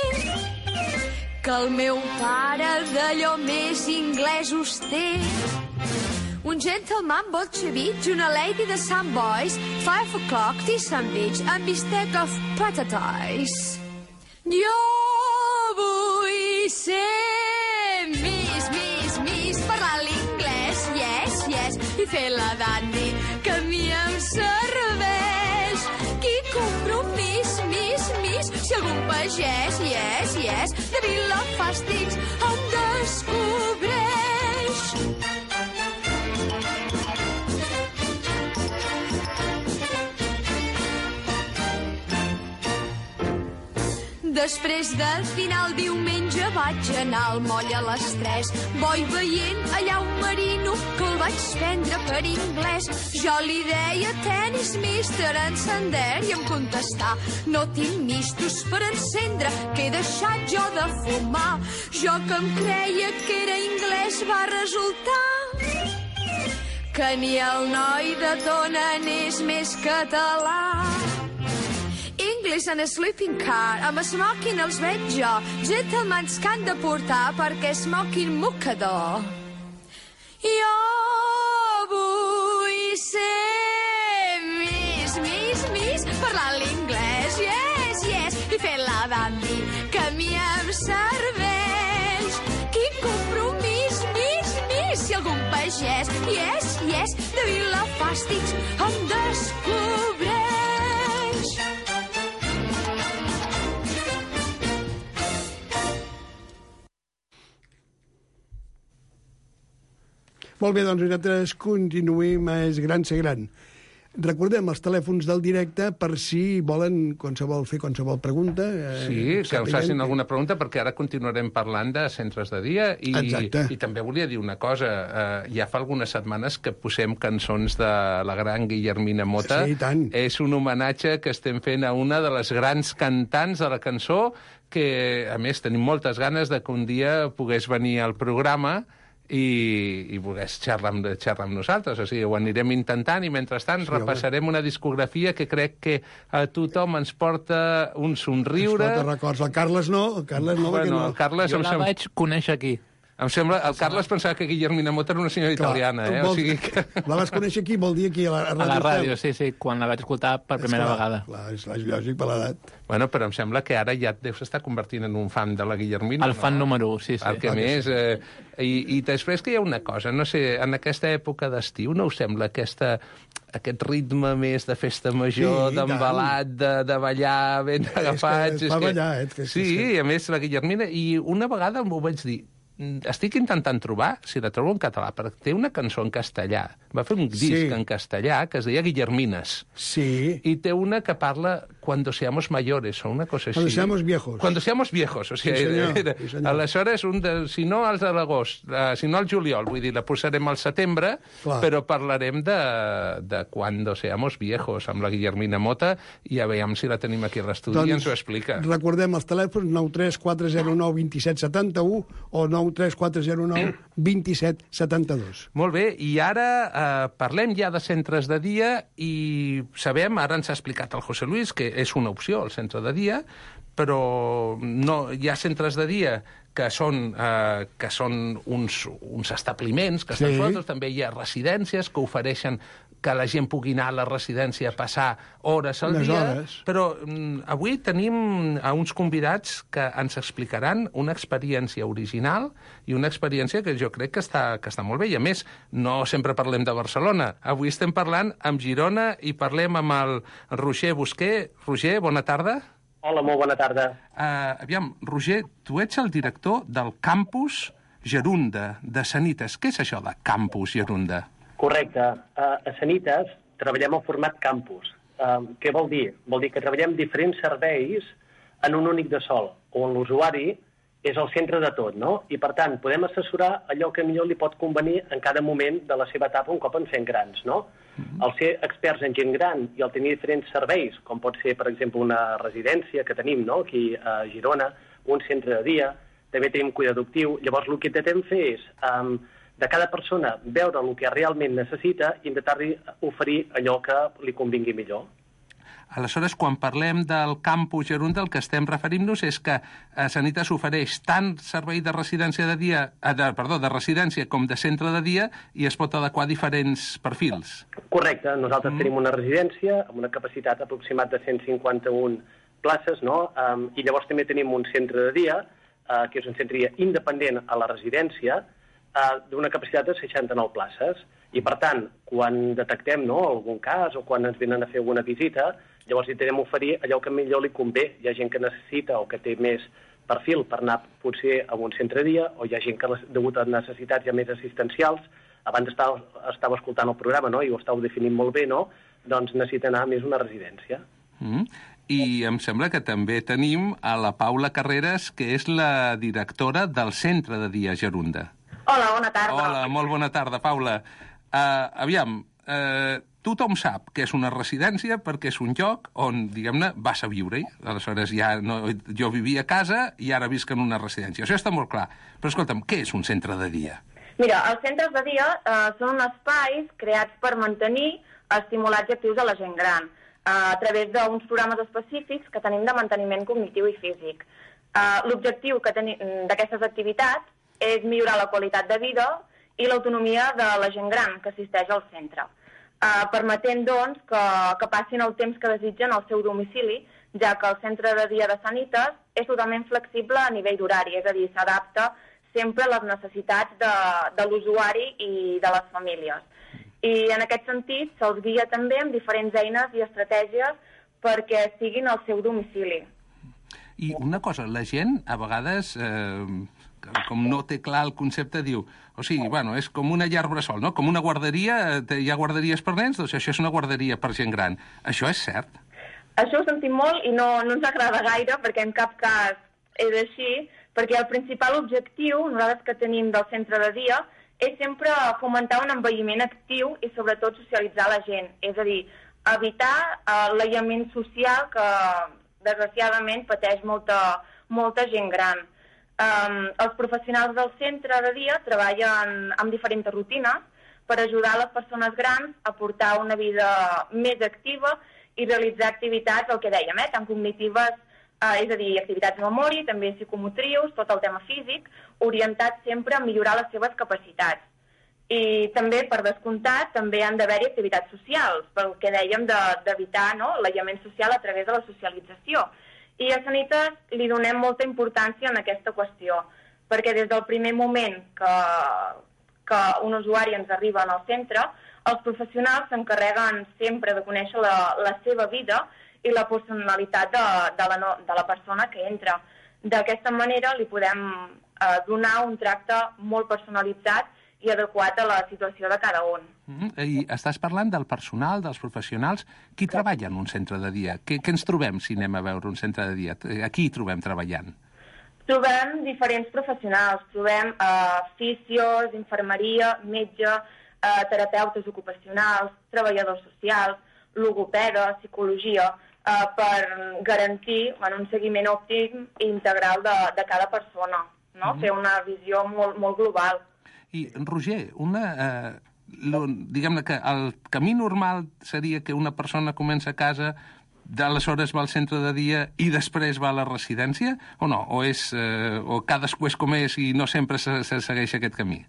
que el meu pare d'allò més inglesos té. Un gentleman bolxevich, una lady de Sun Boys, 5 o'clock, tea sandwich, and bistec of patates. Jo vull ser Miss, Miss, Miss, parlar l'inglès, yes, yes, i fer la dandy, que a mi em serveix. Quin compromís, Miss, Miss, si algun pagès, yes, yes, de Vilafàstics em descobreix. Després del final diumenge vaig anar al moll a les 3. Voy veient allà un marino que el vaig prendre per anglès. Jo li deia tenis, mister, encender, i em contestà no tinc mistos per encendre, que he deixat jo de fumar. Jo que em creia que era anglès va resultar que ni el noi de Tona n'és més català. English and a sleeping car, amb smoking els veig jo, gentlemans que han de portar perquè smoking mocador. Jo vull ser Miss, Miss, Miss, parlar l'inglès, yes, yes, i fer la dandy, que a mi em serveix. Quin compromís, Miss, Miss, si algun pagès, yes, yes, de Vilafàstics em descobreix. Molt bé, doncs nosaltres continuem a Es Gran Ser Gran. Recordem els telèfons del directe per si volen fer qualsevol pregunta. Sí, que us facin alguna pregunta, perquè ara continuarem parlant de centres de dia. I també volia dir una cosa. Ja fa algunes setmanes que posem cançons de la gran Guillermina Mota. Sí, i tant. És un homenatge que estem fent a una de les grans cantants de la cançó, que, a més, tenim moltes ganes de que un dia pogués venir al programa. i volgués xerrar amb nosaltres. O sigui, ho anirem intentant i, mentrestant, repassarem una discografia que crec que a tothom ens porta un somriure. Ens porta records. El Carles no, Bueno, el Carles... Jo la vaig conèixer aquí. Em sembla... El Carles pensava que Guillermina Mota era una senyora italiana, O sigui que... La vas conèixer aquí, vol dir aquí, a la ràdio, sí, quan la vaig escoltar per primera vegada. Clar, és lògic per l'edat. Bueno, però em sembla que ara ja deus estar convertint en un fan de la Guillermina. El fan número 1, sí. Perquè més... I després que hi ha una cosa, no sé, en aquesta època d'estiu no us sembla aquest ritme més de festa major, d'embalat, de ballar ben agafats... És ballar, Sí, a més, la Guillermina... I una vegada m'ho vaig dir, estic intentant trobar, si la trobo en català, perquè té una cançó en castellà. Va fer un disc en castellà que es deia Guillermines. Sí. I té una que parla Cuando seamos mayores, o una cosa així. Cuando seamos viejos. Cuando seamos viejos, o sigui... Sí, senyor. Aleshores, si no als de l'agost, si no al juliol, vull dir, la posarem al setembre, però parlarem de Cuando seamos viejos, amb la Guillermina Mota, i a veure si la tenim aquí a l'estudi i ens ho explica. Recordem els telèfons 93409 2771 o 93409 2772. Molt bé, i ara parlem ja de centres de dia i sabem, ara ens ha explicat el José Luis, que és una opció, el centre de dia, però no, hi ha centres de dia que són uns establiments que estan solts, també hi ha residències que ofereixen que la gent pugui anar a la residència a passar hores al dia, però avui tenim a uns convidats que ens explicaran una experiència original i una experiència que jo crec que està molt bé. I a més, no sempre parlem de Barcelona. Avui estem parlant amb Girona i parlem amb el Roger Busquer. Roger, bona tarda. Hola, molt bona tarda. Aviam, Roger, tu ets el director del Campus Gerunda de Sanitas. Què és això de Campus Gerunda? Correcte. A Sanitas treballem el format campus. Què vol dir? Vol dir que treballem diferents serveis en un únic de sol, on l'usuari és el centre de tot, no? I, per tant, podem assessorar allò que millor li pot convenir en cada moment de la seva etapa un cop ens fem grans, no? El ser experts en gent gran i el tenir diferents serveis, com pot ser, per exemple, una residència que tenim, no?, aquí a Girona, un centre de dia, també tenim cuidador actiu. Llavors, el que intentem fer és, de cada persona, veure el que realment necessita i intentar-li oferir allò que li convingui millor. Aleshores, quan parlem del Campus Gerunda, el que estem referint-nos és que Sanitas ofereix tant servei de residència de residència com de centre de dia i es pot adequar a diferents perfils. Correcte. Nosaltres tenim una residència amb una capacitat aproximada de 151 places, no? I llavors també tenim un centre de dia, que és un centre de dia independent a la residència, d'una capacitat de 69 places. I, per tant, quan detectem algun cas o quan ens venen a fer alguna visita, llavors intentem oferir allò que millor li convé. Hi ha gent que necessita o que té més perfil per anar potser a un centre de dia, o hi ha gent que, degut a necessitats ja més assistencials, abans estava escoltant el programa, no?, i ho estàu definint molt bé, no?, doncs necessita anar més a una residència. I em sembla que també tenim a la Paula Carreras, que és la directora del Centre de Dia Gerunda. Hola, bona tarda. Hola, molt bona tarda, Paula. Aviam, tothom sap que és una residència perquè és un lloc on, diguem-ne, vas a viure-hi. Aleshores, jo vivia a casa i ara visc en una residència. Això està molt clar. Però, escolta'm, què és un centre de dia? Mira, els centres de dia són espais creats per mantenir, estimular i actius a la gent gran, a través d'uns programes específics que tenim de manteniment cognitiu i físic. L'objectiu d'aquestes activitats és millorar la qualitat de vida i l'autonomia de la gent gran que assisteix al centre, permetent, doncs, que passin el temps que desitgen al seu domicili, ja que el centre de dia de Sanitas és totalment flexible a nivell d'horari, és a dir, s'adapta sempre a les necessitats de l'usuari i de les famílies. I en aquest sentit se'ls guia també amb diferents eines i estratègies perquè estiguin al seu domicili. I una cosa, la gent a vegades, com no té clar el concepte, diu, o sigui, bueno, és com una llar bressol, no? Com una guarderia, hi ha guarderies per nens, doncs això és una guarderia per gent gran. Això és cert? Això ho sentim molt i no ens agrada gaire, perquè en cap cas és així, perquè el principal objectiu, nosaltres que tenim del centre de dia, és sempre fomentar un envelliment actiu i sobretot socialitzar la gent, és a dir, evitar l'aïllament social que desgraciadament pateix molta gent gran. Els professionals del centre de dia treballen amb diferents rutines per ajudar les persones grans a portar una vida més activa i realitzar activitats, el que dèiem, tant cognitives, és a dir, activitats de memòria, també psicomotrius, tot el tema físic, orientat sempre a millorar les seves capacitats. I també, per descomptat, també han d'haver-hi activitats socials, pel que dèiem d'evitar l'aïllament social a través de la socialització. I a Sanitas li donem molta importància en aquesta qüestió, perquè des del primer moment que un usuari ens arriba al centre, els professionals s'encarreguen sempre de conèixer la seva vida i la personalitat de la persona que entra. D'aquesta manera li podem donar un tracte molt personalitzat i adequat a la situació de cada un. I estàs parlant del personal, dels professionals. Qui treballa en un centre de dia? Què ens trobem si anem a veure un centre de dia? A qui hi trobem treballant? Trobem diferents professionals. Trobem fisios, infermeria, metge, terapeutes ocupacionals, treballadors socials, logopeda, psicologia, per garantir un seguiment òptim i integral de cada persona, fer una visió molt global. I, Roger, diguem-ne que el camí normal seria que una persona comença a casa, d'aleshores va al centre de dia i després va a la residència, o no? O cadascú és com és i no sempre se segueix aquest camí?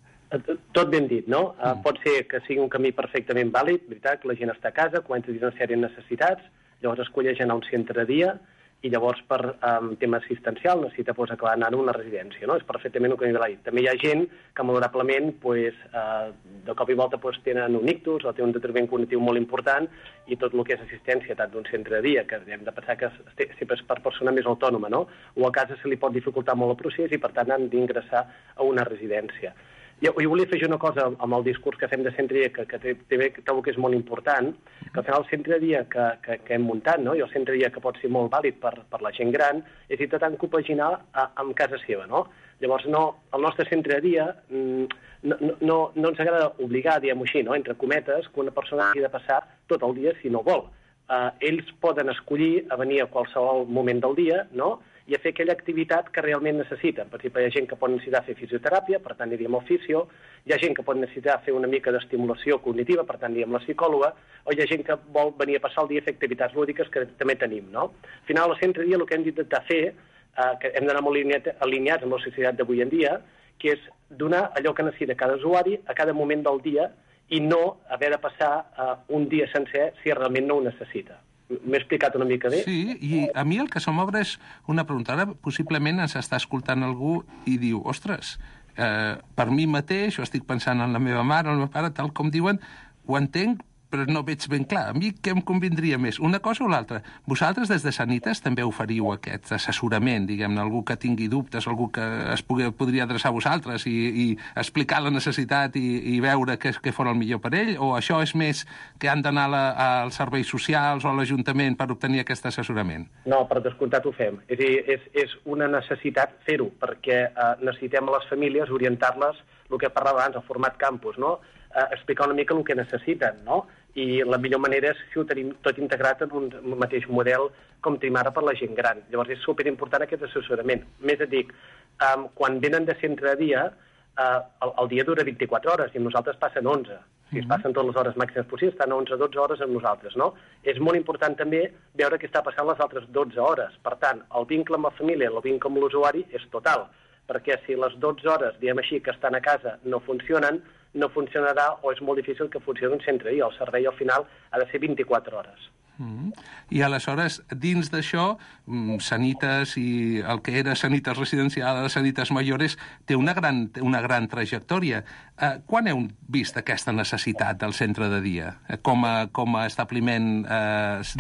Tot ben dit, no? Pot ser que sigui un camí perfectament vàlid, veritat, que la gent està a casa, comença a dir una sèrie de necessitats, llavors escolleix anar a un centre de dia i llavors per tema assistencial necessita acabar anant a una residència, no? És perfectament el que m'he dit. També hi ha gent que malauradament de cop i volta tenen un ictus o té un determinant cognitiu molt important i tot el que és assistència tant d'un centre de dia, que hem de pensar que sempre és per persona més autònoma, no? O a casa se li pot dificultar molt el procés i per tant han d'ingressar a una residència. Jo volia fer una cosa amb el discurs que fem de centre de dia, que trobo que és molt important, que al final el centre de dia que hem muntat, no? I el centre de dia que pot ser molt vàlid per la gent gran, és intentar compaginar amb casa seva, no? Llavors, el nostre centre de dia no ens agrada obligar, diguem-ho així, no? Entre cometes, que una persona hagi de passar tot el dia si no vol. Ells poden escollir a venir a qualsevol moment del dia, no?, i a fer aquella activitat que realment necessiten. Per exemple, hi ha gent que pot necessitar fer fisioteràpia, per tant aniríem al fisio, hi ha gent que pot necessitar fer una mica d'estimulació cognitiva, per tant aniríem a la psicòloga, o hi ha gent que vol venir a passar el dia a fer activitats lúdiques que també tenim, no? Al final, al centre de dia, el que hem d'intentar fer, que hem d'anar molt alineats amb la societat d'avui en dia, que és donar allò que necessita cada usuari a cada moment del dia i no haver de passar un dia sencer si realment no ho necessita. M'he explicat una mica bé? Sí, i a mi el que se m'obre és una pregunta. Ara possiblement ens està escoltant algú i diu, ostres, per mi mateix, o estic pensant en la meva mare o el meu pare, tal com diuen, ho entenc, però no veig ben clar. A mi què em convindria més? Una cosa o l'altra? Vosaltres des de Sanitas també oferiu aquest assessorament, diguem-ne, algú que tingui dubtes, algú que es podria adreçar a vosaltres i explicar la necessitat i veure què fos el millor per ell? O això és més que han d'anar als serveis socials o a l'Ajuntament per obtenir aquest assessorament? No, per descomptat ho fem. És a dir, és una necessitat fer-ho, perquè necessitem a les famílies orientar-les, el que parlava abans, el format campus, no?, explicar una mica el que necessiten, no? I la millor manera és si ho tenim tot integrat en un mateix model com tenim ara per la gent gran. Llavors és superimportant aquest assessorament. Més et dic, quan venen de centre de dia, el dia dura 24 hores i amb nosaltres passen 11. Si es passen totes les hores màximes possibles, estan 11-12 hores amb nosaltres, no? És molt important també veure què està passant les altres 12 hores. Per tant, el vincle amb la família, el vincle amb l'usuari és total, perquè si les 12 hores, diguem així, que estan a casa no funcionen, no funcionarà o és molt difícil que funcioni un centre. I el servei al final ha de ser 24 hores. I aleshores, dins d'això, Sanitas i el que era Sanitas Residencial, Sanitas Mayores, té una gran trajectòria. Quan heu vist aquesta necessitat del centre de dia com a establiment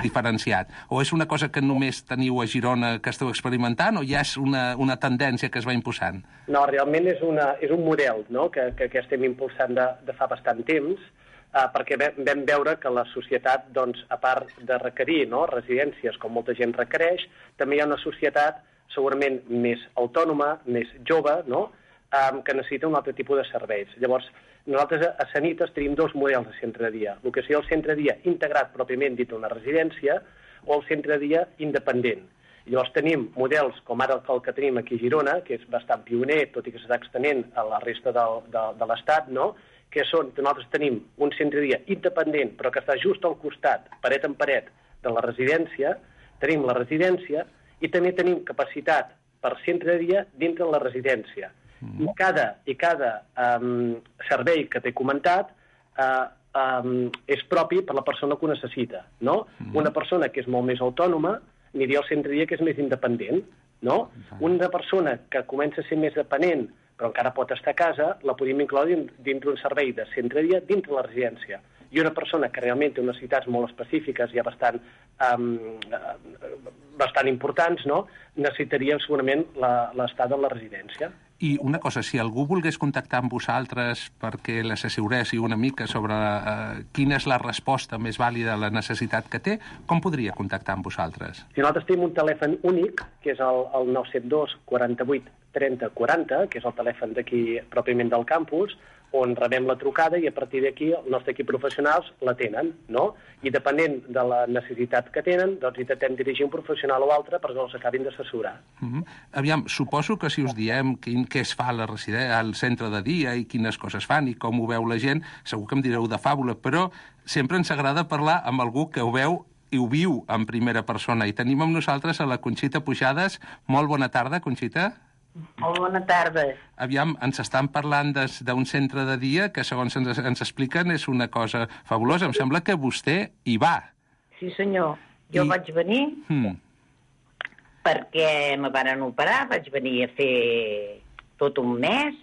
diferenciat? O és una cosa que només teniu a Girona que esteu experimentant o ja és una tendència que es va imposant? No, realment és un model, no?, que estem impulsant de fa bastant temps, perquè vam veure que la societat, doncs, a part de requerir residències com molta gent requereix, també hi ha una societat segurament més autònoma, més jove, que necessita un altre tipus de serveis. Llavors, nosaltres a Sanitas tenim dos models de centre de dia. El que seria el centre de dia integrat pròpiament dit a una residència o el centre de dia independent. Llavors tenim models com ara el que tenim aquí a Girona, que és bastant pioner, tot i que s'està extenent a la resta de l'Estat, no? Que nosaltres tenim un centre de dia independent, però que està just al costat, paret en paret, de la residència. Tenim la residència i també tenim capacitat per centre de dia dintre de la residència. I cada servei que t'he comentat és propi per la persona que ho necessita, no? Una persona que és molt més autònoma aniria al centre de dia que és més independent, no? Una persona que comença a ser més dependent però encara pot estar a casa, la podem incloure dintre un servei de centre de dia dintre la residència. I una persona que realment té unes necessitats molt específiques i bastant importants, no? Necessitaria segurament l'estada a la residència. I una cosa, si algú volgués contactar amb vosaltres perquè l'assessoréssiu una mica sobre quina és la resposta més vàlida a la necessitat que té, com podria contactar amb vosaltres? Si nosaltres tenim un telèfon únic, que és el 972 48 30 40, que és el telèfon d'aquí pròpiament del campus, on rebem la trucada i a partir d'aquí el nostre equip professionals l'atenen, no? I depenent de la necessitat que tenen, doncs intentem dirigir un professional o altre perquè els acabin d'assessorar. Aviam, suposo que si us diem què es fa al centre de dia i quines coses fan i com ho veu la gent, segur que em direu de fàbula, però sempre ens agrada parlar amb algú que ho veu i ho viu en primera persona. I tenim amb nosaltres a la Conxita Pujades. Molt bona tarda, Conxita. Molt bona tarda. Aviam, ens estan parlant d'un centre de dia que, segons ens expliquen, és una cosa fabulosa. Em sembla que vostè hi va. Sí, senyor. Jo vaig venir perquè me van operar, vaig venir a fer tot un mes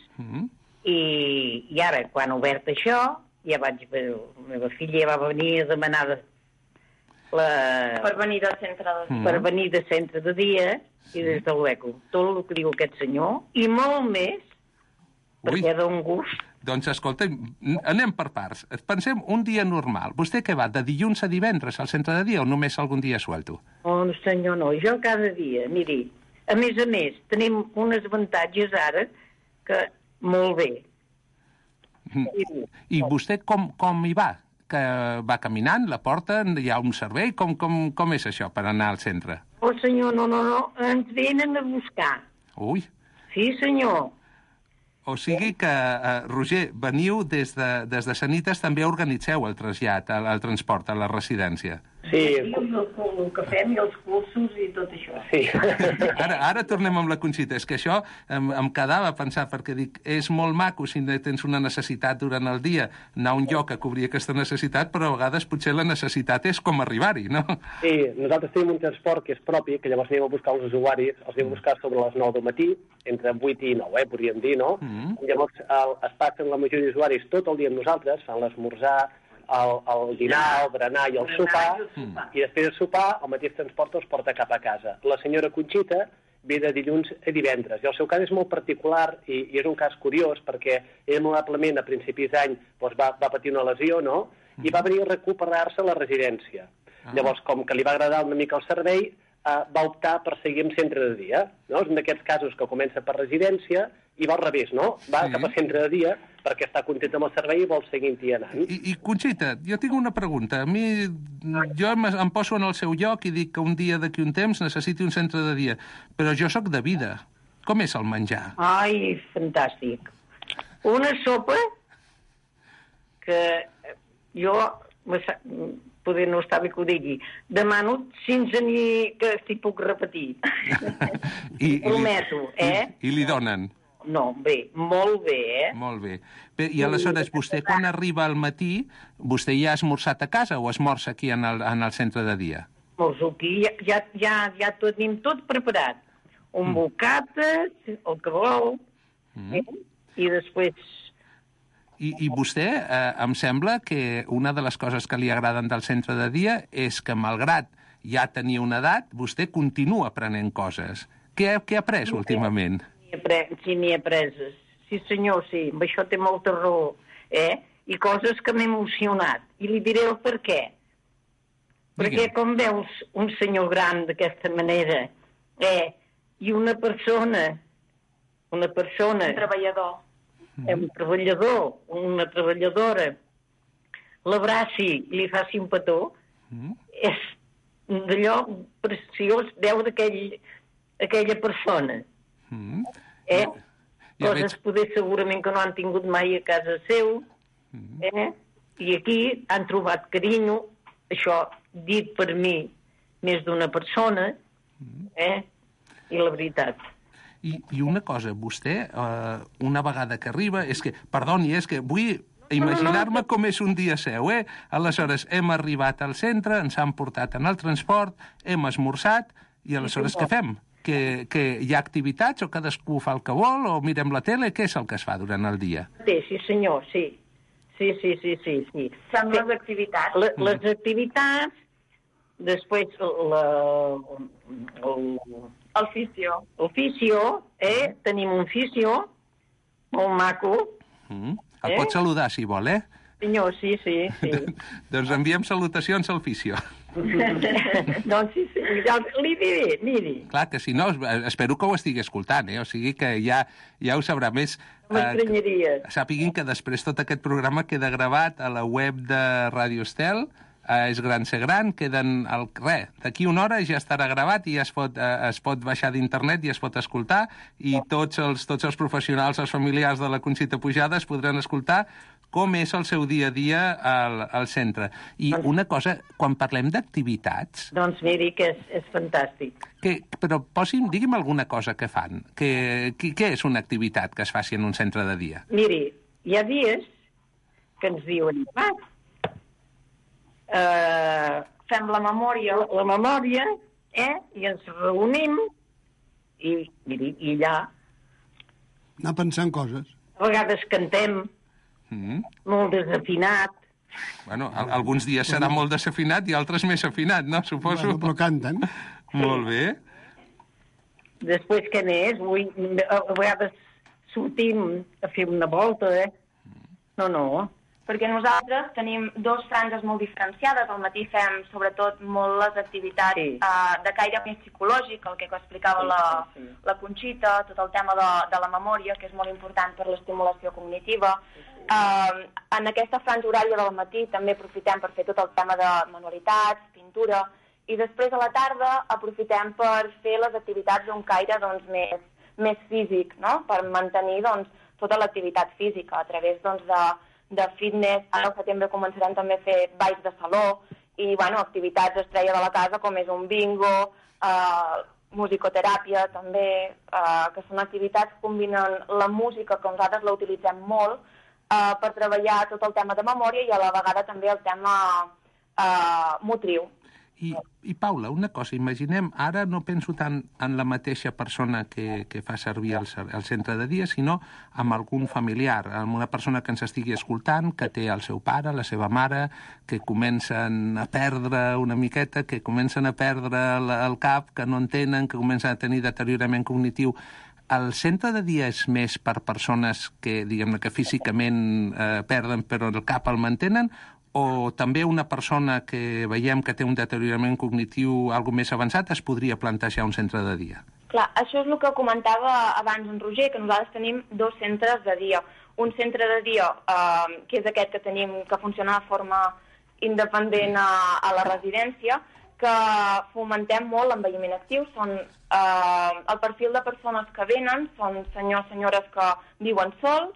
i ara, quan ha obert això, ja vaig... La meva filla ja va venir a demanar per venir del centre de dia. Per venir de centre de dia i des de l'ECO. Tot el que diu aquest senyor, i molt més, perquè d'un gust. Doncs, escolta, anem per parts. Pensem un dia normal. Vostè què va, de dilluns a divendres al centre de dia o només algun dia suelto? Oh, senyor, no. Jo cada dia, miri, a més, tenim uns avantatges ara que molt bé. I vostè com hi va? Que va caminant, la porta, hi ha un servei? Com és això per anar al centre? Oh, senyor, no, ens venen a buscar. Ui. Sí, senyor. O sigui que, Roger, veniu des de Sanitas, també organitzeu el trasllat, el transport a la residència. Sí. El que fem i els cursos i tot això. Sí. Ara tornem amb la Conxita. És que això em quedava a pensar, perquè dic, és molt maco si tens una necessitat durant el dia, anar a un lloc a cobrir aquesta necessitat, però a vegades potser la necessitat és com arribar-hi, no? Sí, nosaltres tenim un transport que és propi, que llavors anem a buscar els usuaris, els anem a buscar sobre les 9 del matí, entre 8 i 9, podríem dir, no? Llavors es passen la majoria d'usuaris tot el dia amb nosaltres, fan l'esmorzar, el dinar, el berenar i el sopar, i després de sopar el mateix transport els porta cap a casa. La senyora Conxita ve de dilluns a divendres, i el seu cas és molt particular i és un cas curiós perquè ell probablement a principis d'any va patir una lesió, no? I va venir a recuperar-se a la residència. Llavors, com que li va agradar una mica el servei, va optar per seguir en centre de dia, no? És un d'aquests casos que comença per residència i va al revés, no? Va cap a centre de dia perquè està content amb el servei i vol seguir-hi anant. I Conxita, jo tinc una pregunta. A mi, jo em poso en el seu lloc i dic que un dia d'aquí un temps necessiti un centre de dia, però jo sóc de vida. Com és el menjar? Ai, fantàstic. Una sopa que jo... poder no està bé que ho digui. Demano sense ni que s'hi puc repetir. Prometo, I li donen? No, bé, molt bé, Molt bé. I aleshores, vostè quan arriba al matí, vostè ja ha esmorzat a casa o esmorza aquí en el centre de dia? Esmorzo aquí, ja tenim tot preparat. Un bocata, el que vol, i després... I vostè, em sembla que una de les coses que li agraden del centre de dia és que, malgrat ja tenir una edat, vostè continua aprenent coses. Què ha après últimament? Sí, n'hi he preses. Sí, senyor, sí. Amb això té molta raó. I coses que m'ha emocionat. I li diré el per què. Perquè com veus un senyor gran d'aquesta manera, i una persona... Un treballador. Un treballador, una treballadora, l'abraci i li faci un petó, és d'allò preciós veure aquella persona. Coses poder segurament que no han tingut mai a casa seu, i aquí han trobat carinyo, això dit per mi més d'una persona, i la veritat. I una cosa, vostè, una vegada que arriba, és que, perdoni, és que vull imaginar-me com és un dia seu, Aleshores, hem arribat al centre, ens han portat en el transport, hem esmorzat, i aleshores què fem? Que hi ha activitats o cadascú fa el que vol o mirem la tele? Què és el que es fa durant el dia? Sí, senyor, sí. Sí. Són les activitats. Les activitats, després Oficio, tenim un fisio, molt maco. El pot saludar, si vol, Senyor, sí. Doncs enviem salutacions al fisio. Doncs sí, li diré, miri. Clar que si no, espero que ho estigui escoltant, O sigui que ja ho sabrà més. M'estranyaria. Sàpiguin que després tot aquest programa queda gravat a la web de Ràdio Estel, És gran ser gran, queden d'aquí una hora ja estarà gravat i es pot baixar d'internet i es pot escoltar, i tots els professionals, els familiars de la Conxita Pujades podran escoltar com és el seu dia a dia al centre. I una cosa, quan parlem d'activitats... Doncs miri que és fantàstic. Però digui'm alguna cosa que fan. Què és una activitat que es faci en un centre de dia? Miri, hi ha dies que ens diuen... fem la memòria, i ens reunim i allà... Anar pensant coses. A vegades cantem, molt desafinat. Bueno, alguns dies serà molt desafinat i altres més afinat, no? Suposo. Bueno, però canten. Molt bé. Després, què més? A vegades sortim a fer una volta, No. Perquè nosaltres tenim dues franges molt diferenciades. Al matí fem, sobretot, molt les activitats de caire més psicològic, el que explicava la Conxita, tot el tema de la memòria, que és molt important per l'estimulació cognitiva. En aquesta franja horària del matí també aprofitem per fer tot el tema de manualitats, pintura, i després a la tarda aprofitem per fer les activitats d'un caire més físic, no? Per mantenir tota l'activitat física a través de fitness. Ara al setembre començarem també a fer balls de saló i activitats estrella de la casa com és un bingo, musicoteràpia també, que són activitats que combinen la música, que nosaltres la utilitzem molt, per treballar tot el tema de memòria i a la vegada també el tema motriu. I Paula, una cosa, imaginem, ara no penso tant en la mateixa persona que fa servir el centre de dia, sinó amb algun familiar, amb una persona que ens estigui escoltant, que té el seu pare, la seva mare, que comencen a perdre una miqueta, que comencen a perdre el cap, que no entenen, que comencen a tenir deteriorament cognitiu. El centre de dia és més per persones que, diguem-ne, que físicament perden però el cap el mantenen, o també una persona que veiem que té un deteriorament cognitiu algo més avançat es podria plantejar un centre de dia? Clar, això és el que comentava abans en Roger, que nosaltres tenim dos centres de dia. Un centre de dia, que és aquest que tenim, que funciona de forma independent a la residència, que fomentem molt l'envelliment actiu. El perfil de persones que venen són senyors, senyores que viuen sols,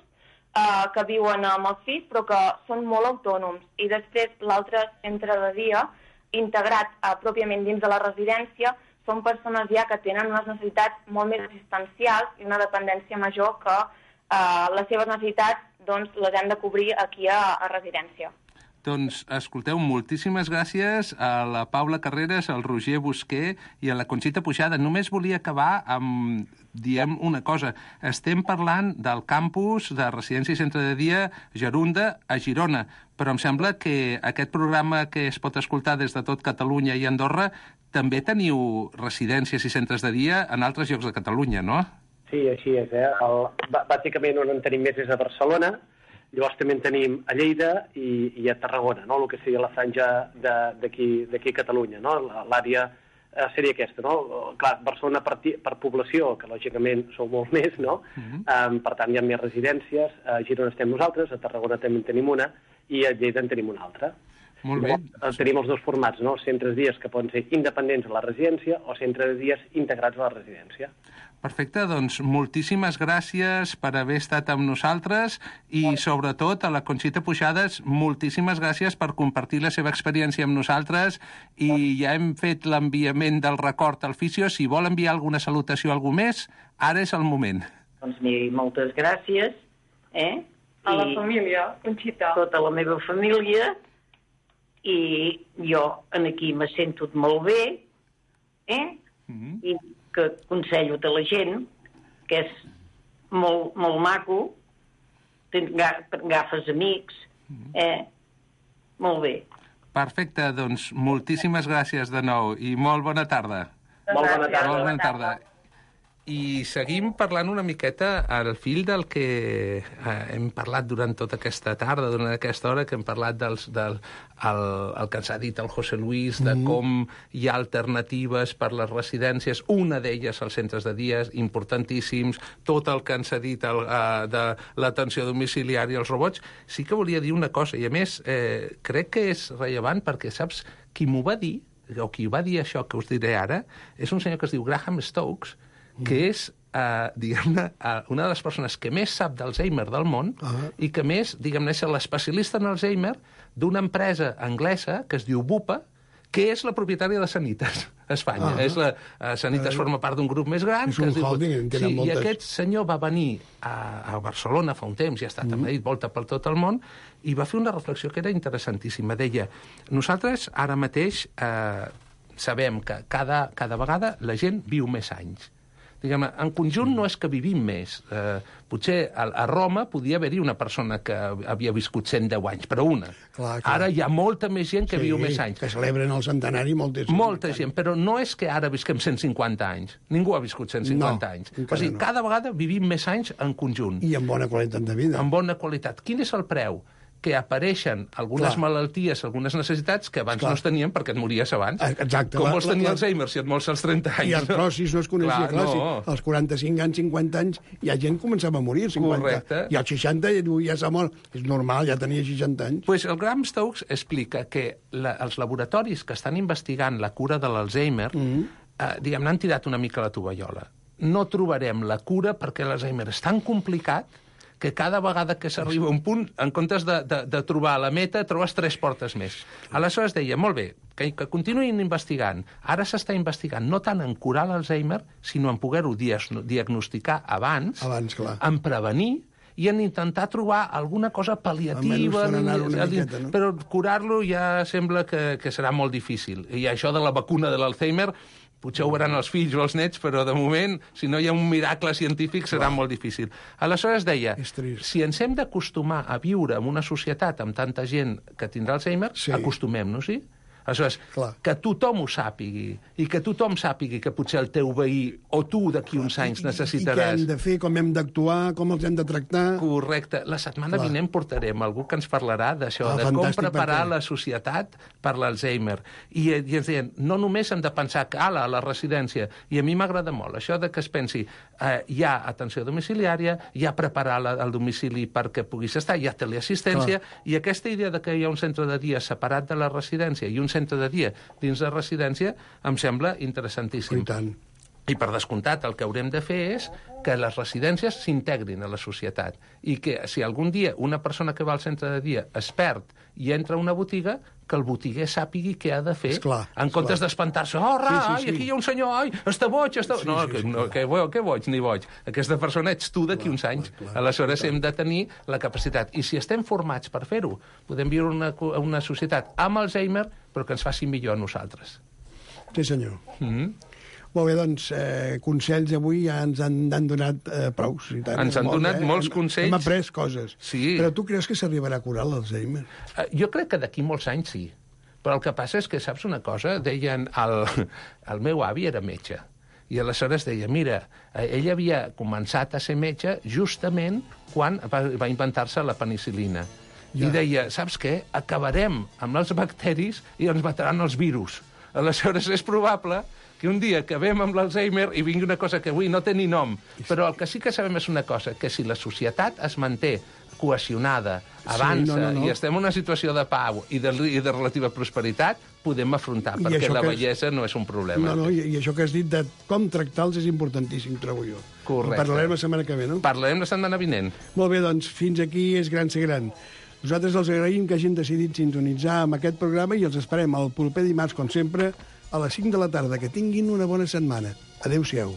que viuen amb els fills, però que són molt autònoms. I després l'altre centre de dia, integrat pròpiament dins de la residència, són persones ja que tenen unes necessitats molt més assistencials i una dependència major que les seves necessitats les hem de cobrir aquí a residència. Doncs, escolteu, moltíssimes gràcies a la Paula Carreras, al Roger Busquer i a la Conxita Pujada. Només volia acabar amb, diem una cosa. Estem parlant del campus de residència i centre de dia Gerunda a Girona, però em sembla que aquest programa que es pot escoltar des de tot Catalunya i Andorra també teniu residències i centres de dia en altres llocs de Catalunya, no? Sí, així és. Bàsicament on en tenim més és a Barcelona. Llavors també en tenim a Lleida i a Tarragona, no? El que seria la franja d'aquí a Catalunya, no? L'àrea seria aquesta, no? Clar, Barcelona per població, que lògicament sou molt més, no? Per tant, hi ha més residències. A Girona estem nosaltres, a Tarragona també en tenim una, i a Lleida en tenim una altra. Molt bé. Tenim els dos formats, no? Centres de dies que poden ser independents a la residència o centres de dies integrats a la residència. Perfecte, doncs moltíssimes gràcies per haver estat amb nosaltres i sobretot a la Conxita Puixades, moltíssimes gràcies per compartir la seva experiència amb nosaltres i ja hem fet l'enviament del record al Fisio. Si vol enviar alguna salutació a algú més, ara és el moment. Doncs miri, moltes gràcies, A la família, Conxita. Tota la meva família, i jo aquí me sento molt bé, i que aconsello a la gent, que és molt, molt maco, agafes amics, molt bé. Perfecte, doncs moltíssimes gràcies de nou i molt bona tarda. Molt bona tarda. Molt bona tarda. I seguim parlant una miqueta al fil del que hem parlat durant tota aquesta tarda, durant aquesta hora, que hem parlat el que ens ha dit el José Luis, de com hi ha alternatives per les residències, una d'elles als centres de dies, importantíssims, tot el que ens ha dit de l'atenció domiciliària als robots. Sí que volia dir una cosa, i a més crec que és rellevant perquè, saps, qui m'ho va dir, o qui va dir això que us diré ara, és un senyor que es diu Graham Stokes, que és, diguem-ne, una de les persones que més sap d'Alzheimer del món i que més, diguem-ne, és l'especialista en Alzheimer d'una empresa anglesa que es diu Bupa, que és la propietària de Sanitas a Espanya. Sanitas forma part d'un grup més gran. És un holding, en tenen moltes. I aquest senyor va venir a Barcelona fa un temps, i ha estat a Madrid, volta per tot el món, i va fer una reflexió que era interessantíssima. Deia, nosaltres ara mateix sabem que cada vegada la gent viu més anys. Diguem-ne, en conjunt no és que vivim més. Potser a Roma podia haver-hi una persona que havia viscut 110 anys, però una. Clar. Ara hi ha molta més gent que viu més anys. Que celebren el centenari molta gent, però no és que ara visquem 150 anys. Ningú ha viscut 150 anys. O sigui, cada vegada vivim més anys en conjunt. I amb bona qualitat de vida. Amb bona qualitat. Quin és el preu? Que apareixen algunes malalties, algunes necessitats que abans no es tenien perquè et mories abans. Exacte. Com vols tenir Alzheimer si et mors als 30 anys? I artrosis no es coneixia. Clar, als 45 anys, 50 anys, hi ha gent que començava a morir. 50. Correcte. I als 60 ja s'ha mort. És normal, ja tenia 60 anys. Pues el Graham Stokes explica que els laboratoris que estan investigant la cura de l'Alzheimer, diguem-ne, han tirat una mica la tovallola. No trobarem la cura perquè l'Alzheimer és tan complicat que cada vegada que s'arriba a un punt, en comptes de trobar la meta, trobes 3 portes més. Aleshores deia, molt bé, que continuïn investigant. Ara s'està investigant no tant en curar l'Alzheimer, sinó en poder-ho diagnosticar abans, en prevenir, i en intentar trobar alguna cosa pal·liativa, però curar-lo ja sembla que serà molt difícil. I això de la vacuna de l'Alzheimer potser ho veuran els fills o els nets, però de moment, si no hi ha un miracle científic, serà molt difícil. Aleshores deia, si ens hem d'acostumar a viure en una societat amb tanta gent que tindrà Alzheimer, acostumem-nos-hi. Aleshores, que tothom ho sàpigui, i que tothom sàpigui que potser el teu veí o tu d'aquí uns anys necessitaràs. I què hem de fer, com hem d'actuar, com els hem de tractar. Correcte. La setmana vinent portarem algú que ens parlarà d'això, de com preparar la societat per l'Alzheimer. I ens deien, no només hem de pensar que a la residència, i a mi m'agrada molt això de que es pensi, hi ha atenció domiciliària, hi ha preparar el domicili perquè puguis estar, hi ha teleassistència, i aquesta idea de que hi ha un centre de dia separat de la residència i un centre de dia dins la residència em sembla interessantíssim. I tant. I per descomptat el que haurem de fer és que les residències s'integrin a la societat i que si algun dia una persona que va al centre de dia es perd i entra a una botiga, que el botiguer sàpigui què ha de fer, en comptes d'espantar-se, aquí hi ha un senyor, està boig, què boig ni boig. Aquesta persona ets tu d'aquí uns anys. Aleshores hem de tenir la capacitat. I si estem formats per fer-ho, podem viure una societat amb Alzheimer, però que ens faci millor a nosaltres. Sí, senyor. Molt bé, doncs, consells avui ja ens han donat prous. Ens han donat molts consells. Hem après coses. Sí. Però tu creus que s'arribarà a curar l'Alzheimer? Jo crec que d'aquí molts anys sí. Però el que passa és que, saps una cosa? Deien, el meu avi era metge. I aleshores deia, mira, ell havia començat a ser metge justament quan va inventar-se la penicil·lina. I deia, saps què? Acabarem amb els bacteris i ens mataran els virus. Aleshores és probable que un dia acabem amb l'Alzheimer i vingui una cosa que avui no té ni nom. Però el que sí que sabem és una cosa, que si la societat es manté cohesionada, avança, no. i estem en una situació de pau i de relativa prosperitat, podem afrontar, perquè la bellesa no és un problema. No, i això que has dit de com tractar-los és importantíssim, trobo jo. Correcte. Parlarem la setmana que ve, no? Parlarem la setmana vinent. Molt bé, doncs, fins aquí és Gran ser gran. Nosaltres els agraïm que hagin decidit sintonitzar amb aquest programa i els esperem el proper dimarts, com sempre, a les 5 de la tarda. Que tinguin una bona setmana. Adéu-siau.